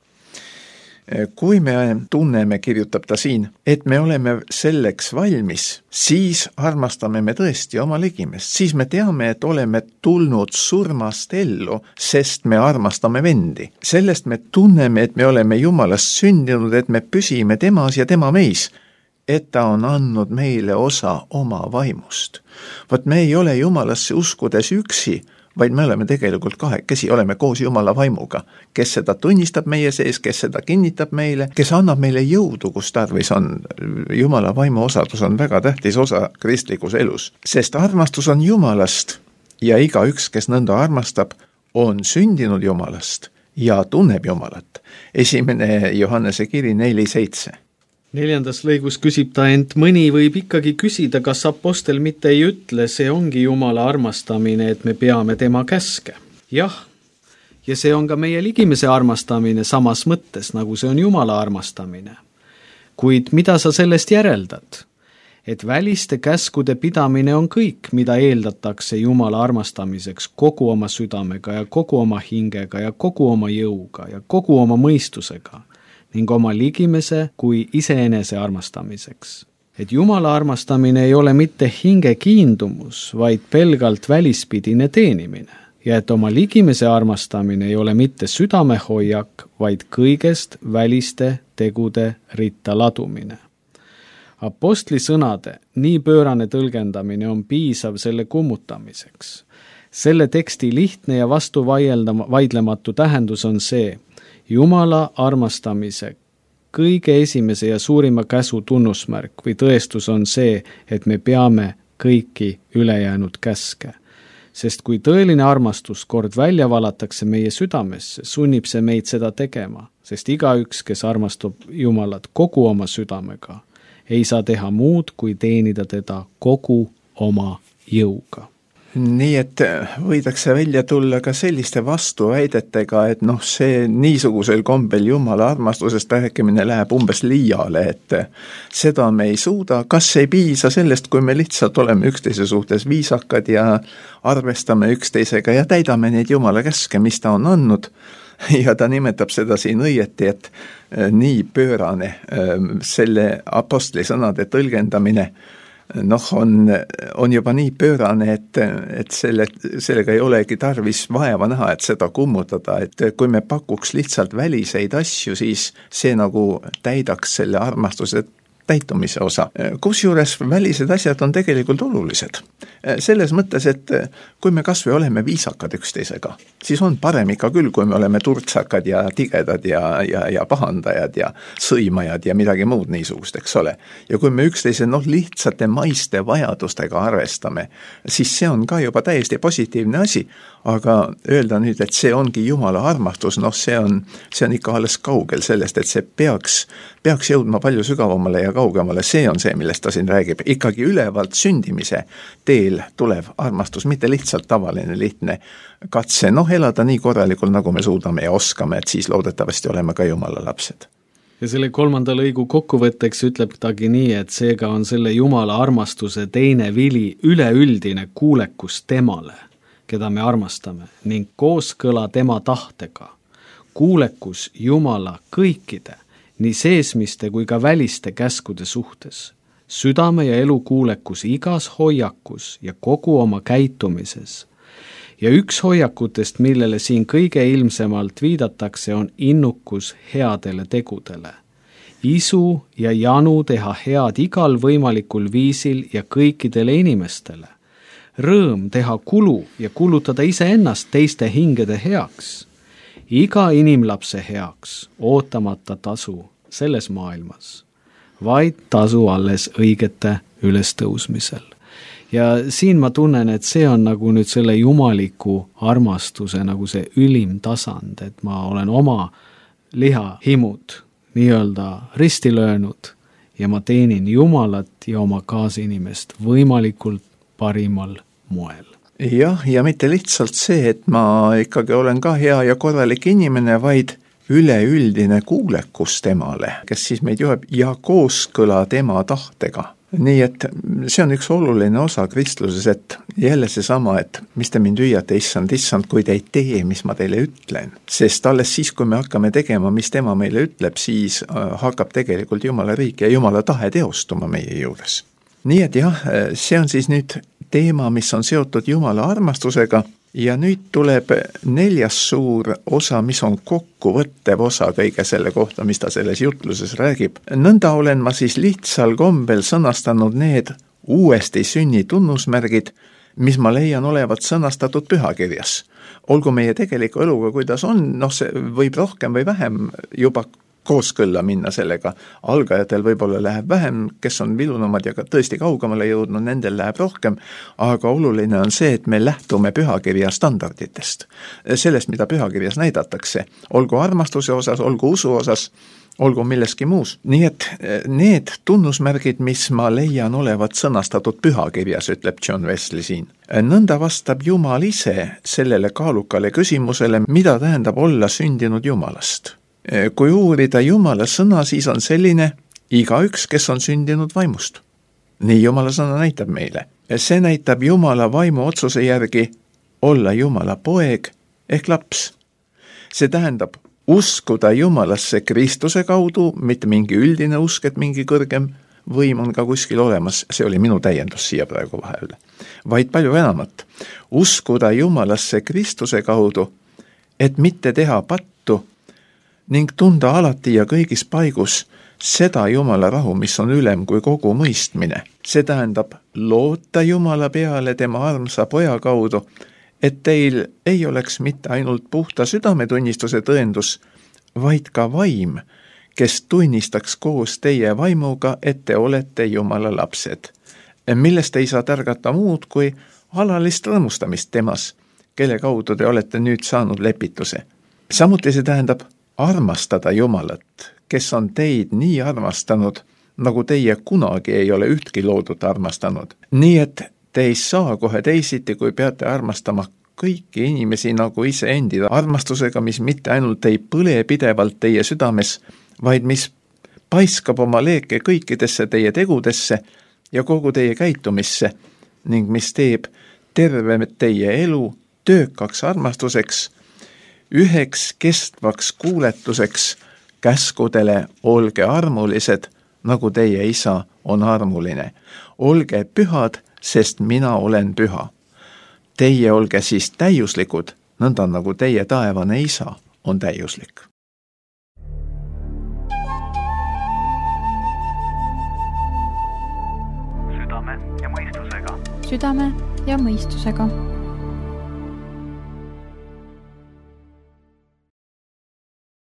Kui me tunneme, kirjutab ta siin, et me oleme selleks valmis, siis armastame me tõesti oma ligimest, siis me teame, et oleme tulnud surmast ellu, sest me armastame vendi. Sellest me tunneme, et me oleme Jumalast sündinud, et me püsime temas ja tema meis, et ta on andnud meile osa oma vaimust. Vot me ei ole Jumalasse uskudes üksi, vaid me oleme tegelikult kahekesi, oleme koos Jumala vaimuga, kes seda tunnistab meie sees, kes seda kinnitab meile, kes annab meile jõudu, kus tarvis on. Jumala vaimu osadus on väga tähtis osa kristlikus elus, sest armastus on Jumalast ja igaüks, kes nõnda armastab, on sündinud Jumalast ja tunneb Jumalat. Esimene Johannese kiri neli seitse. Neljandas lõigus küsib ta, ent mõni võib ikkagi küsida, kas apostel mitte ei ütle, see ongi Jumala armastamine, et me peame tema käske. Jah, ja see on ka meie ligimese armastamine samas mõttes, nagu see on Jumala armastamine. Kuid mida sa sellest järeldad? Et väliste käskude pidamine on kõik, mida eeldatakse Jumala armastamiseks kogu oma südamega ja kogu oma hingega ja kogu oma jõuga ja kogu oma mõistusega ning oma ligimese kui iseenese armastamiseks. Et Jumala armastamine ei ole mitte hinge kiindumus, vaid pelgalt välispidine teenimine. Ja et oma ligimese armastamine ei ole mitte südamehoiak, vaid kõigest väliste tegude ritta ladumine. Apostli sõnade nii pöörane tõlgendamine on piisav selle kummutamiseks. Selle teksti lihtne ja vastu vaidlematu tähendus on see, Jumala armastamise kõige esimese ja suurima käsu tunnusmärk või tõestus on see, et me peame kõiki ülejäänud käske. Sest kui tõeline armastus kord välja valatakse meie südamesse, sunnib see meid seda tegema, sest igaüks, kes armastab Jumalat kogu oma südamega, ei saa teha muud, kui teenida teda kogu oma jõuga. Nii et võidakse välja tulla ka selliste vastuväidetega, et noh, see niisugusel kombel Jumala armastusest rääkimine läheb umbes liiale, et seda me ei suuda, kas ei piisa sellest, kui me lihtsalt oleme üksteise suhtes viisakad ja arvestame üksteisega ja täidame neid Jumala käske, mis ta on andnud, ja ta nimetab seda siin õieti, et nii pöörane selle apostli sõnade tõlgendamine noh, on, on juba nii pöörane, et, et selle, sellega ei olegi tarvis vaeva näha, et seda kummutada, et kui me pakuks lihtsalt väliseid asju, siis see nagu täidaks selle armastuse täitumise osa. Kusjuures välised asjad on tegelikult olulised. Selles mõttes, et kui me kas või oleme viisakad üksteisega, siis on parem ikka küll, kui me oleme turtsakad ja tigedad ja, ja, ja pahandajad ja sõimajad ja midagi muud niisugust, eks ole. Ja kui me üksteise noh, lihtsate maiste vajadustega arvestame, siis see on ka juba täiesti positiivne asi, aga öelda nüüd, et see ongi Jumala armastus, noh see on, see on ikka alles kaugel sellest, et see peaks, peaks jõudma palju sügavamale ja kaugemale, see on see, millest ta siin räägib. Ikkagi ülevalt sündimise teel tulev armastus, mitte lihtsalt tavaline lihtne katse, noh elada nii korralikul, nagu me suudame ja oskame, et siis loodetavasti oleme ka Jumala lapsed. Ja selle kolmanda lõigu kokkuvõtteks ütleb tagi nii, et seega on selle Jumala armastuse teine vili üleüldine kuulekus temale, keda me armastame, ning kooskõla tema tahtega. Kuulekus Jumala kõikide, nii seesmiste kui ka väliste käskude suhtes. Südame ja elu kuulekus igas hoiakus ja kogu oma käitumises. Ja üks hoiakutest, millele siin kõige ilmsemalt viidatakse, on innukus headele tegudele. Isu ja janu teha head igal võimalikul viisil ja kõikidele inimestele. Rõõm teha kulu ja kulutada iseennast teiste hingede heaks. Iga inimlapse heaks, ootamata tasu selles maailmas, vaid tasu alles õigete ülestõusmisel. ja siin ma tunnen, et see on nagu nüüd selle jumaliku armastuse nagu see ülim tasand, et ma olen oma lihahimud nii-öelda risti löönud ja ma teenin Jumalat ja oma kaasinimest võimalikult parimal moel. Jah, ja mitte lihtsalt see, et ma ikkagi olen ka hea ja korralik inimene, vaid üleüldine kuulekus temale, kes siis meid juhib ja kooskõla tema tahtega. Nii et see on üks oluline osa kristluses, et jälle see sama, et mis te mind hüüate, issand, issand, kui te ei tee, mis ma teile ütlen. Sest alles siis, kui me hakkame tegema, mis tema meile ütleb, siis hakkab tegelikult Jumala riik ja Jumala tahe teostuma meie juures. Nii et jah, see on siis nüüd teema, mis on seotud Jumala armastusega ja nüüd tuleb neljas suur osa, mis on kokkuvõttev osa kõige selle kohta, mis ta selles jutluses räägib. Nõnda olen ma siis lihtsal kombel sõnastanud need uuesti sünni tunnusmärgid, mis ma leian olevat sõnastatud pühakirjas. Olgu meie tegeliku eluga, kuidas on, noh see võib rohkem või vähem juba kooskõlla minna sellega. Algajatel võib-olla läheb vähem, kes on vilunumad ja ka tõesti kaugemale jõudnud, nendel läheb rohkem, aga oluline on see, et me lähtume pühakirja standarditest. Sellest, mida pühakirjas näidatakse, olgu armastuse osas, olgu usu osas, olgu milleski muus. Nii et need tunnusmärgid, mis ma leian olevat sõnastatud pühakirjas, ütleb John Wesley siin. Nõnda vastab Jumal ise sellele kaalukale küsimusele, mida tähendab olla sündinud Jumalast. Kui uurida Jumala sõna, siis on selline igaüks, kes on sündinud vaimust. Nii Jumala sõna näitab meile. See näitab Jumala vaimu otsuse järgi olla Jumala poeg ehk laps. See tähendab uskuda Jumalasse Kristuse kaudu, mitte mingi üldine usk, et mingi kõrgem võim on ka kuskil olemas, see oli minu täiendus siia praegu vahele, vaid palju enamat. Uskuda Jumalasse Kristuse kaudu, et mitte teha pattu, ning tunda alati ja kõigis paigus seda Jumala rahu, mis on ülem kui kogu mõistmine. See tähendab loota Jumala peale tema armsa poja kaudu, et teil ei oleks mitte ainult puhta südametunnistuse tõendus, vaid ka vaim, kes tunnistaks koos teie vaimuga, et te olete Jumala lapsed, millest ei saa tärgata muud kui alalist rõõmustamist temas, kelle kaudu te olete nüüd saanud lepituse. Samuti see tähendab armastada Jumalat, kes on teid nii armastanud, nagu teie kunagi ei ole ühtki loodut armastanud. Nii et te ei saa kohe teisiti, kui peate armastama kõiki inimesi nagu ise endida armastusega, mis mitte ainult ei põle pidevalt teie südames, vaid mis paiskab oma leeke kõikidesse teie tegudesse ja kogu teie käitumisse ning mis teeb terve teie elu töökaks armastuseks, üheks kestvaks kuuletuseks käskudele olge armulised, nagu teie isa on armuline. Olge pühad, sest mina olen püha. Teie olge siis täiuslikud, nõnda nagu teie taevane isa on täiuslik. Südame ja mõistusega. Südame ja mõistusega.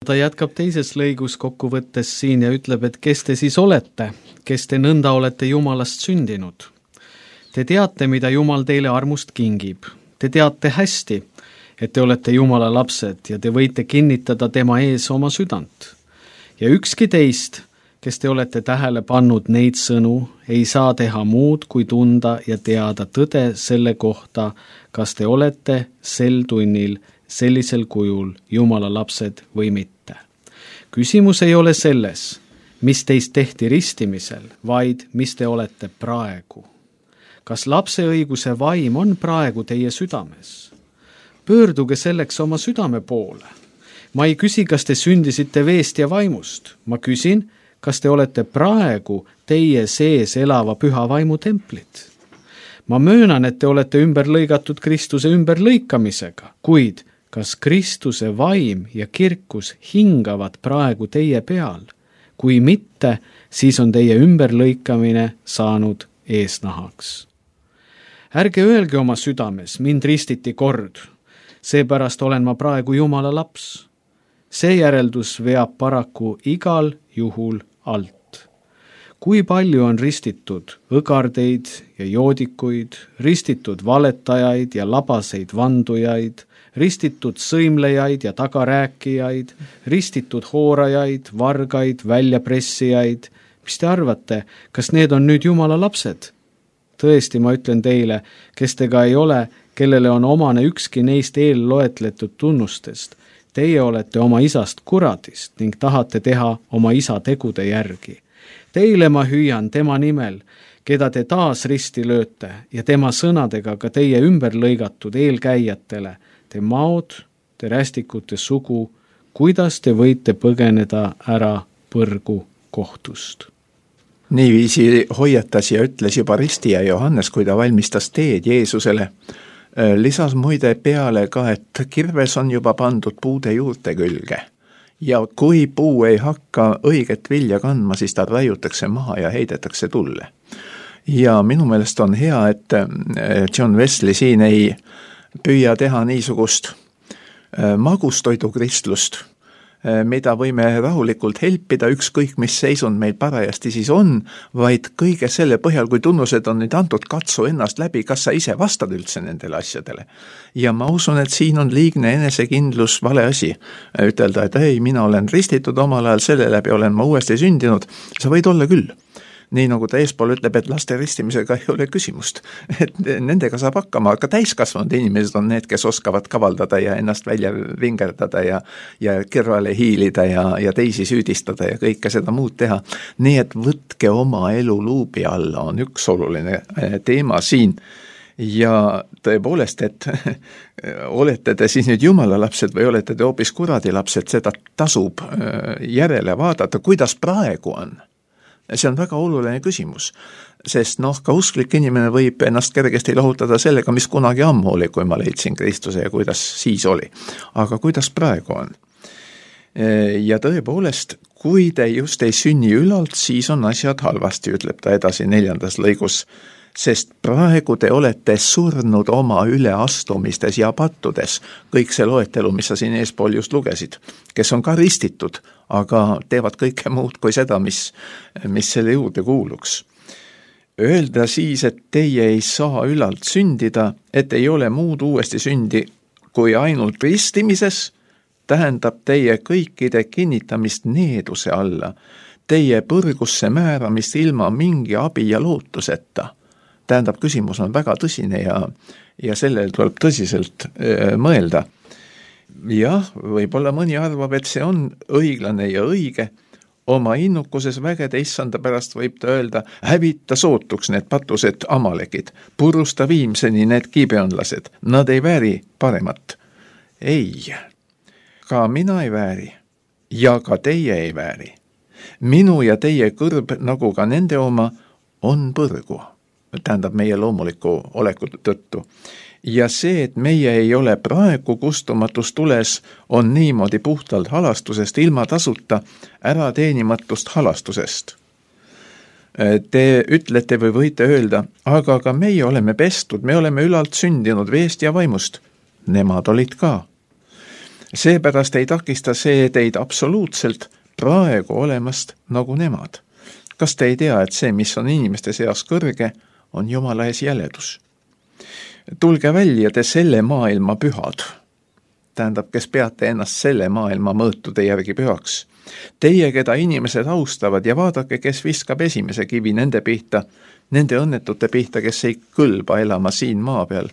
Ta jätkab teises lõigus kokkuvõttes siin ja ütleb, et kes te siis olete, kes te nõnda olete Jumalast sündinud. Te teate, mida Jumal teile armust kingib. Te teate hästi, et te olete Jumala lapsed ja te võite kinnitada tema ees oma südant. Ja ükski teist, kes te olete tähele pannud neid sõnu, ei saa teha muud kui tunda ja teada tõde selle kohta, kas te olete sel tunnil sellisel kujul Jumala lapsed või mitte. Küsimus ei ole selles, mis teist tehti ristimisel, vaid mis te olete praegu. Kas lapse õiguse vaim on praegu teie südames? Pöörduge selleks oma südame poole. Ma ei küsi, kas te sündisite veest ja vaimust. Ma küsin, kas te olete praegu teie sees elava püha vaimu templid. Ma möönan, et te olete ümber lõigatud Kristuse ümberlõikamisega, kuid kas Kristuse vaim ja kirkus hingavad praegu teie peal? Kui mitte, siis on teie ümberlõikamine saanud eesnahaks. Ärge öelge oma südames, mind ristiti kord, seepärast olen ma praegu Jumala laps. See järeldus veab paraku igal juhul alt. kui palju on ristitud õgardeid ja joodikuid, ristitud valetajaid ja labaseid vandujaid, ristitud sõimlejaid ja tagarääkijaid, ristitud hoorajaid, vargaid, väljapressijaid. Mis te arvate, kas need on nüüd Jumala lapsed? Tõesti, ma ütlen teile, kes tega ei ole, kellele on omane ükski neist eelloetletud tunnustest. Teie olete oma isast kuradist ning tahate teha oma isa tegude järgi. Teile ma hüüan tema nimel, keda te taas risti lööte ja tema sõnadega ka teie ümber lõigatud eelkäijatele, te maod, te rästikute sugu, kuidas te võite põgeneda ära põrgu kohtust. Niiviisi hoiatas ja ütles juba ristija Johannes, kui ta valmistas teed Jeesusele. Lisas muide peale ka, et kirves on juba pandud puude juurte külge. Ja kui puu ei hakka õiget vilja kandma, siis ta raiutakse maha ja heidetakse tulle. Ja minu meelest on hea, et John Wesley siin ei püüa teha niisugust magustoidu kristlust, mida võime rahulikult helpida, ükskõik mis seisund meil parajasti siis on, vaid kõige selle põhjal, kui tunnused on nüüd antud, katsu ennast läbi, kas sa ise vastad üldse nendele asjadele. Ja ma usun, et siin on liigne enesekindlus vale asi. Ütelda, et ei, mina olen ristitud omal ajal, selle läbi olen ma uuesti sündinud. Sa võid olla küll. Nii nagu ta eespool ütleb, et laste ristimisega ei ole küsimust. Et nendega saab hakkama, aga täiskasvanud inimesed on need, kes oskavad kavaldada ja ennast välja vingerdada ja, ja kõrvale hiilida ja, ja teisi süüdistada ja kõike seda muud teha. Nii et võtke oma elu luubi alla, on üks oluline teema siin. Ja tõepoolest, et olete te siis nüüd Jumala lapsed või olete te hoopis kuradi lapsed, seda tasub järele vaadata, kuidas praegu on. See on väga oluline küsimus, sest noh, ka usklik inimene võib ennast kergesti lohutada sellega, mis kunagi ammu oli, kui ma leidsin Kristuse ja kuidas siis oli. Aga kuidas praegu on? Ja tõepoolest, kui te just ei sünni ülalt, siis on asjad halvasti, ütleb ta edasi neljandas lõigus, sest praegu te olete surnud oma üleastumistes ja pattudes, kõik see loetelu, mis sa siin eespool just lugesid, kes on ka ristitud, aga teevad kõike muud kui seda, mis, mis selle juurde kuuluks. Öelda siis, et teie ei saa ülalt sündida, et ei ole muud uuesti sündi kui ainult ristimises, tähendab teie kõikide kinnitamist needuse alla, teie põrgusse määramist ilma mingi abi ja lootuseta. Tähendab, küsimus on väga tõsine ja, ja sellele tuleb tõsiselt äh, mõelda. Jah, võib-olla mõni arvab, et see on õiglane ja õige. Oma innukuses vägede issanda pärast võib ta öelda, hävita sootuks need patused amalekid, purusta viimseni need kiibeonlased, nad ei vääri paremat. Ei, ka mina ei vääri ja ka teie ei vääri. Minu ja teie kõrb, nagu ka nende oma, on põrgu. Tähendab meie loomuliku oleku tõttu. Ja see, et meie ei ole praegu kustumatus tules, on niimoodi puhtalt halastusest ilma tasuta ära teenimatust halastusest. Te ütlete või võite öelda, aga ka meie oleme pestud, me oleme ülalt sündinud veest ja vaimust. Nemad olid ka. Seepärast ei takista see teid absoluutselt praegu olemast nagu nemad. Kas te ei tea, et see, mis on inimeste seas kõrge, on Jumala ees jäledus? Tulge välja te selle maailma pühad. Tähendab, kes peate ennast selle maailma mõõtude järgi pühaks. Teie, keda inimesed austavad ja vaadake, kes viskab esimese kivi nende pihta, nende õnnetute pihta, kes ei kõlba elama siin maa peal,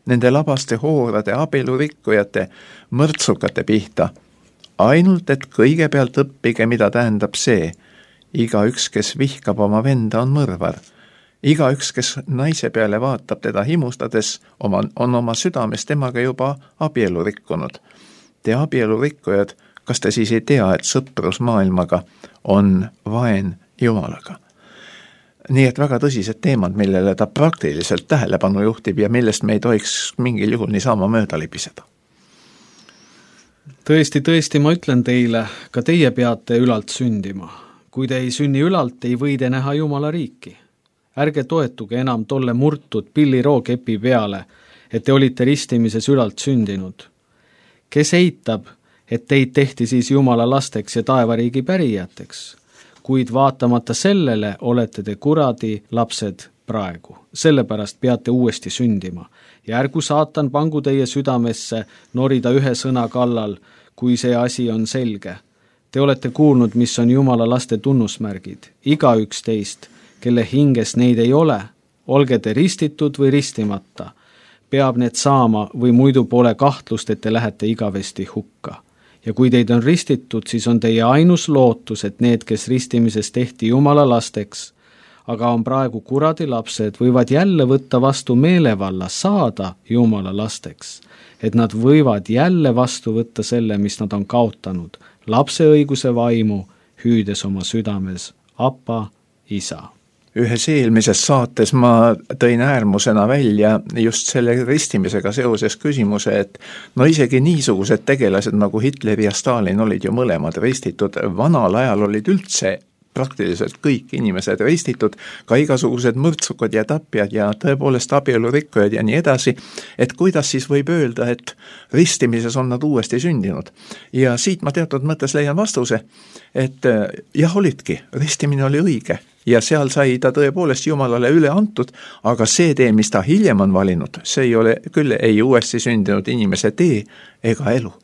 nende labaste hoorade, abielurikkujate, mõrtsukate pihta. Ainult, et kõigepealt õppige, mida tähendab see. Igaüks, kes vihkab oma venda, on mõrvar. Igaüks, kes naise peale vaatab teda himustades, oma, on oma südames temaga juba abielu rikkunud. Te abielu rikkujad, kas te siis ei tea, et sõprus maailmaga on vaen Jumalaga? Nii et väga tõsised teemad, millele ta praktiliselt tähelepanu juhtib ja millest me ei tohiks mingil juhul niisama mööda libiseda. Tõesti, tõesti, ma ütlen teile, ka teie peate ülalt sündima. Kui te ei sünni ülalt, ei või te näha Jumala riiki. Ärge toetuge enam tolle murtud pillirookepi peale, et te olite ristimises ülalt sündinud. Kes eitab, et teid tehti siis Jumala lasteks ja taevariigi pärijateks? kuid vaatamata sellele olete te kuradi lapsed praegu. Sellepärast peate uuesti sündima. Ja ärgu saatan pangu teie südamesse norida ühe sõna kallal, kui see asi on selge. Te olete kuulnud, mis on Jumala laste tunnusmärgid. Igaüks teist, kelle hinges neid ei ole, olge te ristitud või ristimata. Peab need saama või muidu pole kahtlust, et te lähete igavesti hukka. Ja kui teid on ristitud, siis on teie ainus lootus, et need, kes ristimises tehti Jumala lasteks, aga on praegu kuradi lapsed, võivad jälle võtta vastu meelevalla saada Jumala lasteks. Et nad võivad jälle vastu võtta selle, mis nad on kaotanud, lapse õiguse vaimu, hüüdes oma südames, Appa, isa. Ühes eelmises saates ma tõin äärmusena välja just selle ristimisega seoses küsimuse, et no isegi niisugused tegelased nagu Hitler ja Stalin olid ju mõlemad ristitud, vanal ajal olid üldse praktiliselt kõik inimesed ristitud, ka igasugused mõrtsukad ja tapjad ja tõepoolest abielurikkujad ja nii edasi, et kuidas siis võib öelda, et ristimises on nad uuesti sündinud. Ja siit ma teatud mõttes leian vastuse, et jah, olidki, ristimine oli õige ja seal sai ta tõepoolest Jumalale üle antud, aga see tee, mis ta hiljem on valinud, see ei ole küll ei uuesti sündinud inimese tee ega elu.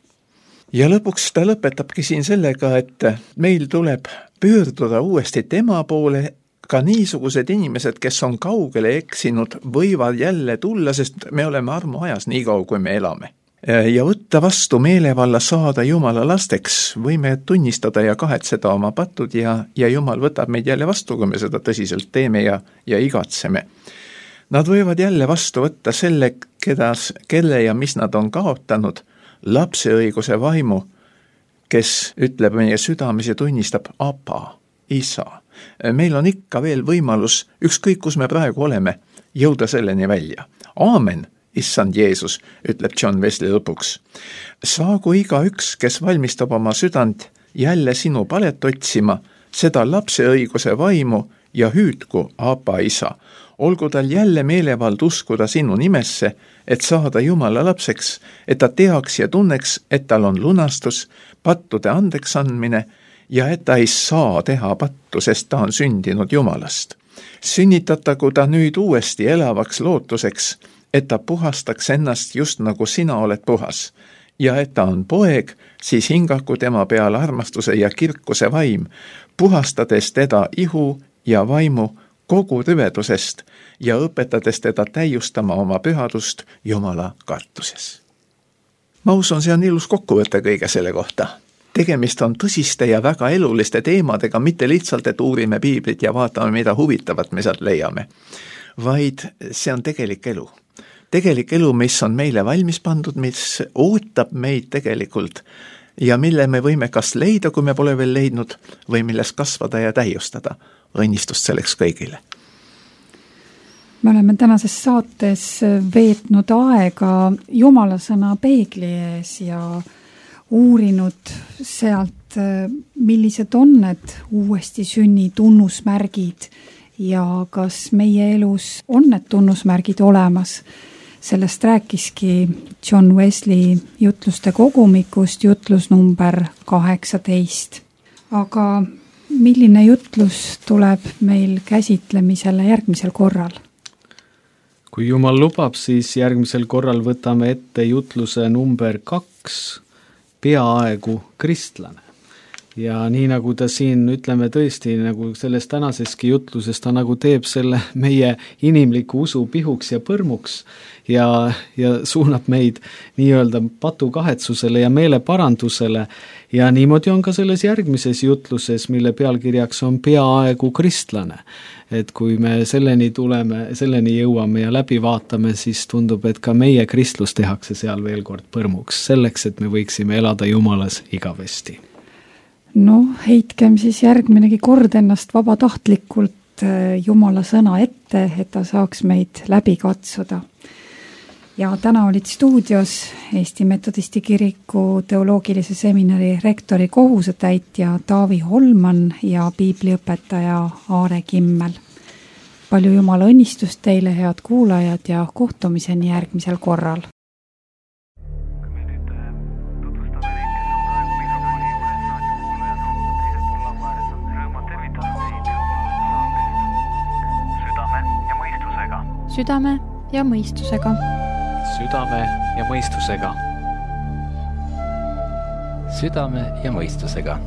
Ja lõpuks ta lõpetabki siin sellega, et meil tuleb pöörduda uuesti tema poole, ka niisugused inimesed, kes on kaugele eksinud, võivad jälle tulla, sest me oleme armuajas nii kaua, kui me elame. Ja võtta vastu meelevalla saada Jumala lasteks, võime tunnistada ja kahetseda oma patud ja, ja Jumal võtab meid jälle vastu, kui me seda tõsiselt teeme ja, ja igatseme. Nad võivad jälle vastu võtta selle, keda, kelle ja mis nad on kaotanud, lapseõiguse vaimu, kes ütleb meie südames ja tunnistab Appa, isa. Meil on ikka veel võimalus, ükskõik kus me praegu oleme, jõuda selleni välja. Aamen, issand Jeesus, ütleb John Wesley lõpuks. Saagu igaüks, kes valmistab oma südant jälle sinu palet otsima, seda lapseõiguse vaimu ja hüüdku Appa, isa. Olgu tal jälle meelevald uskuda sinu nimesse, et saada Jumala lapseks, et ta teaks ja tunneks, et tal on lunastus, pattude andeks andmine ja et ta ei saa teha pattu, sest ta on sündinud Jumalast. Sünnitatagu ta nüüd uuesti elavaks lootuseks, et ta puhastaks ennast just nagu sina oled puhas. Ja et ta on poeg, siis hingaku tema peale armastuse ja kirkuse vaim, puhastades teda ihu ja vaimu kogu rüvedusest ja õpetades teda täiustama oma pühadust Jumala kartuses. Ma usun, see on ilus kokkuvõte kõige selle kohta. Tegemist on tõsiste ja väga eluliste teemadega, mitte lihtsalt, et uurime piiblit ja vaatame, mida huvitavat me sealt leiame, vaid see on tegelik elu. Tegelik elu, mis on meile valmis pandud, mis ootab meid tegelikult ja mille me võime kas leida, kui me pole veel leidnud, või milles kasvada ja täiustada. Õnnistust selleks kõigile. Me oleme tänases saates veetnud aega Jumala sõna peegli ees ja uurinud sealt, millised on need uuesti sünni tunnusmärgid ja kas meie elus on need tunnusmärgid olemas. Sellest rääkiski John Wesley jutluste kogumikust, jutlus number kaheksateist. Aga milline jutlus tuleb meil käsitlemisele järgmisel korral? Kui Jumal lubab, siis järgmisel korral võtame ette jutluse number kaks, peaaegu kristlane. Ja nii nagu ta siin, ütleme tõesti, nagu selles tänaseski jutluses, ta nagu teeb selle meie inimliku usu pihuks ja põrmuks ja, ja suunab meid nii-öelda patukahetsusele ja meeleparandusele. Ja niimoodi on ka selles järgmises jutluses, mille pealkirjaks on peaaegu kristlane. Et kui me selleni tuleme, selleni jõuame ja läbi vaatame, siis tundub, et ka meie kristlus tehakse seal veel kord põrmuks, selleks, et me võiksime elada Jumalas igavesti. No, heitkem siis järgminegi kord ennast vabatahtlikult Jumala sõna ette, et ta saaks meid läbi katsuda. Ja täna olid stuudios Eesti Metodisti Kiriku teoloogilise seminari rektori kohusetäitja Taavi Holman ja piibliõpetaja Aare Kimmel. Palju Jumala õnnistust teile, head kuulajad, ja kohtumiseni järgmisel korral. südame ja mõistusega. südame ja mõistusega. südame ja mõistusega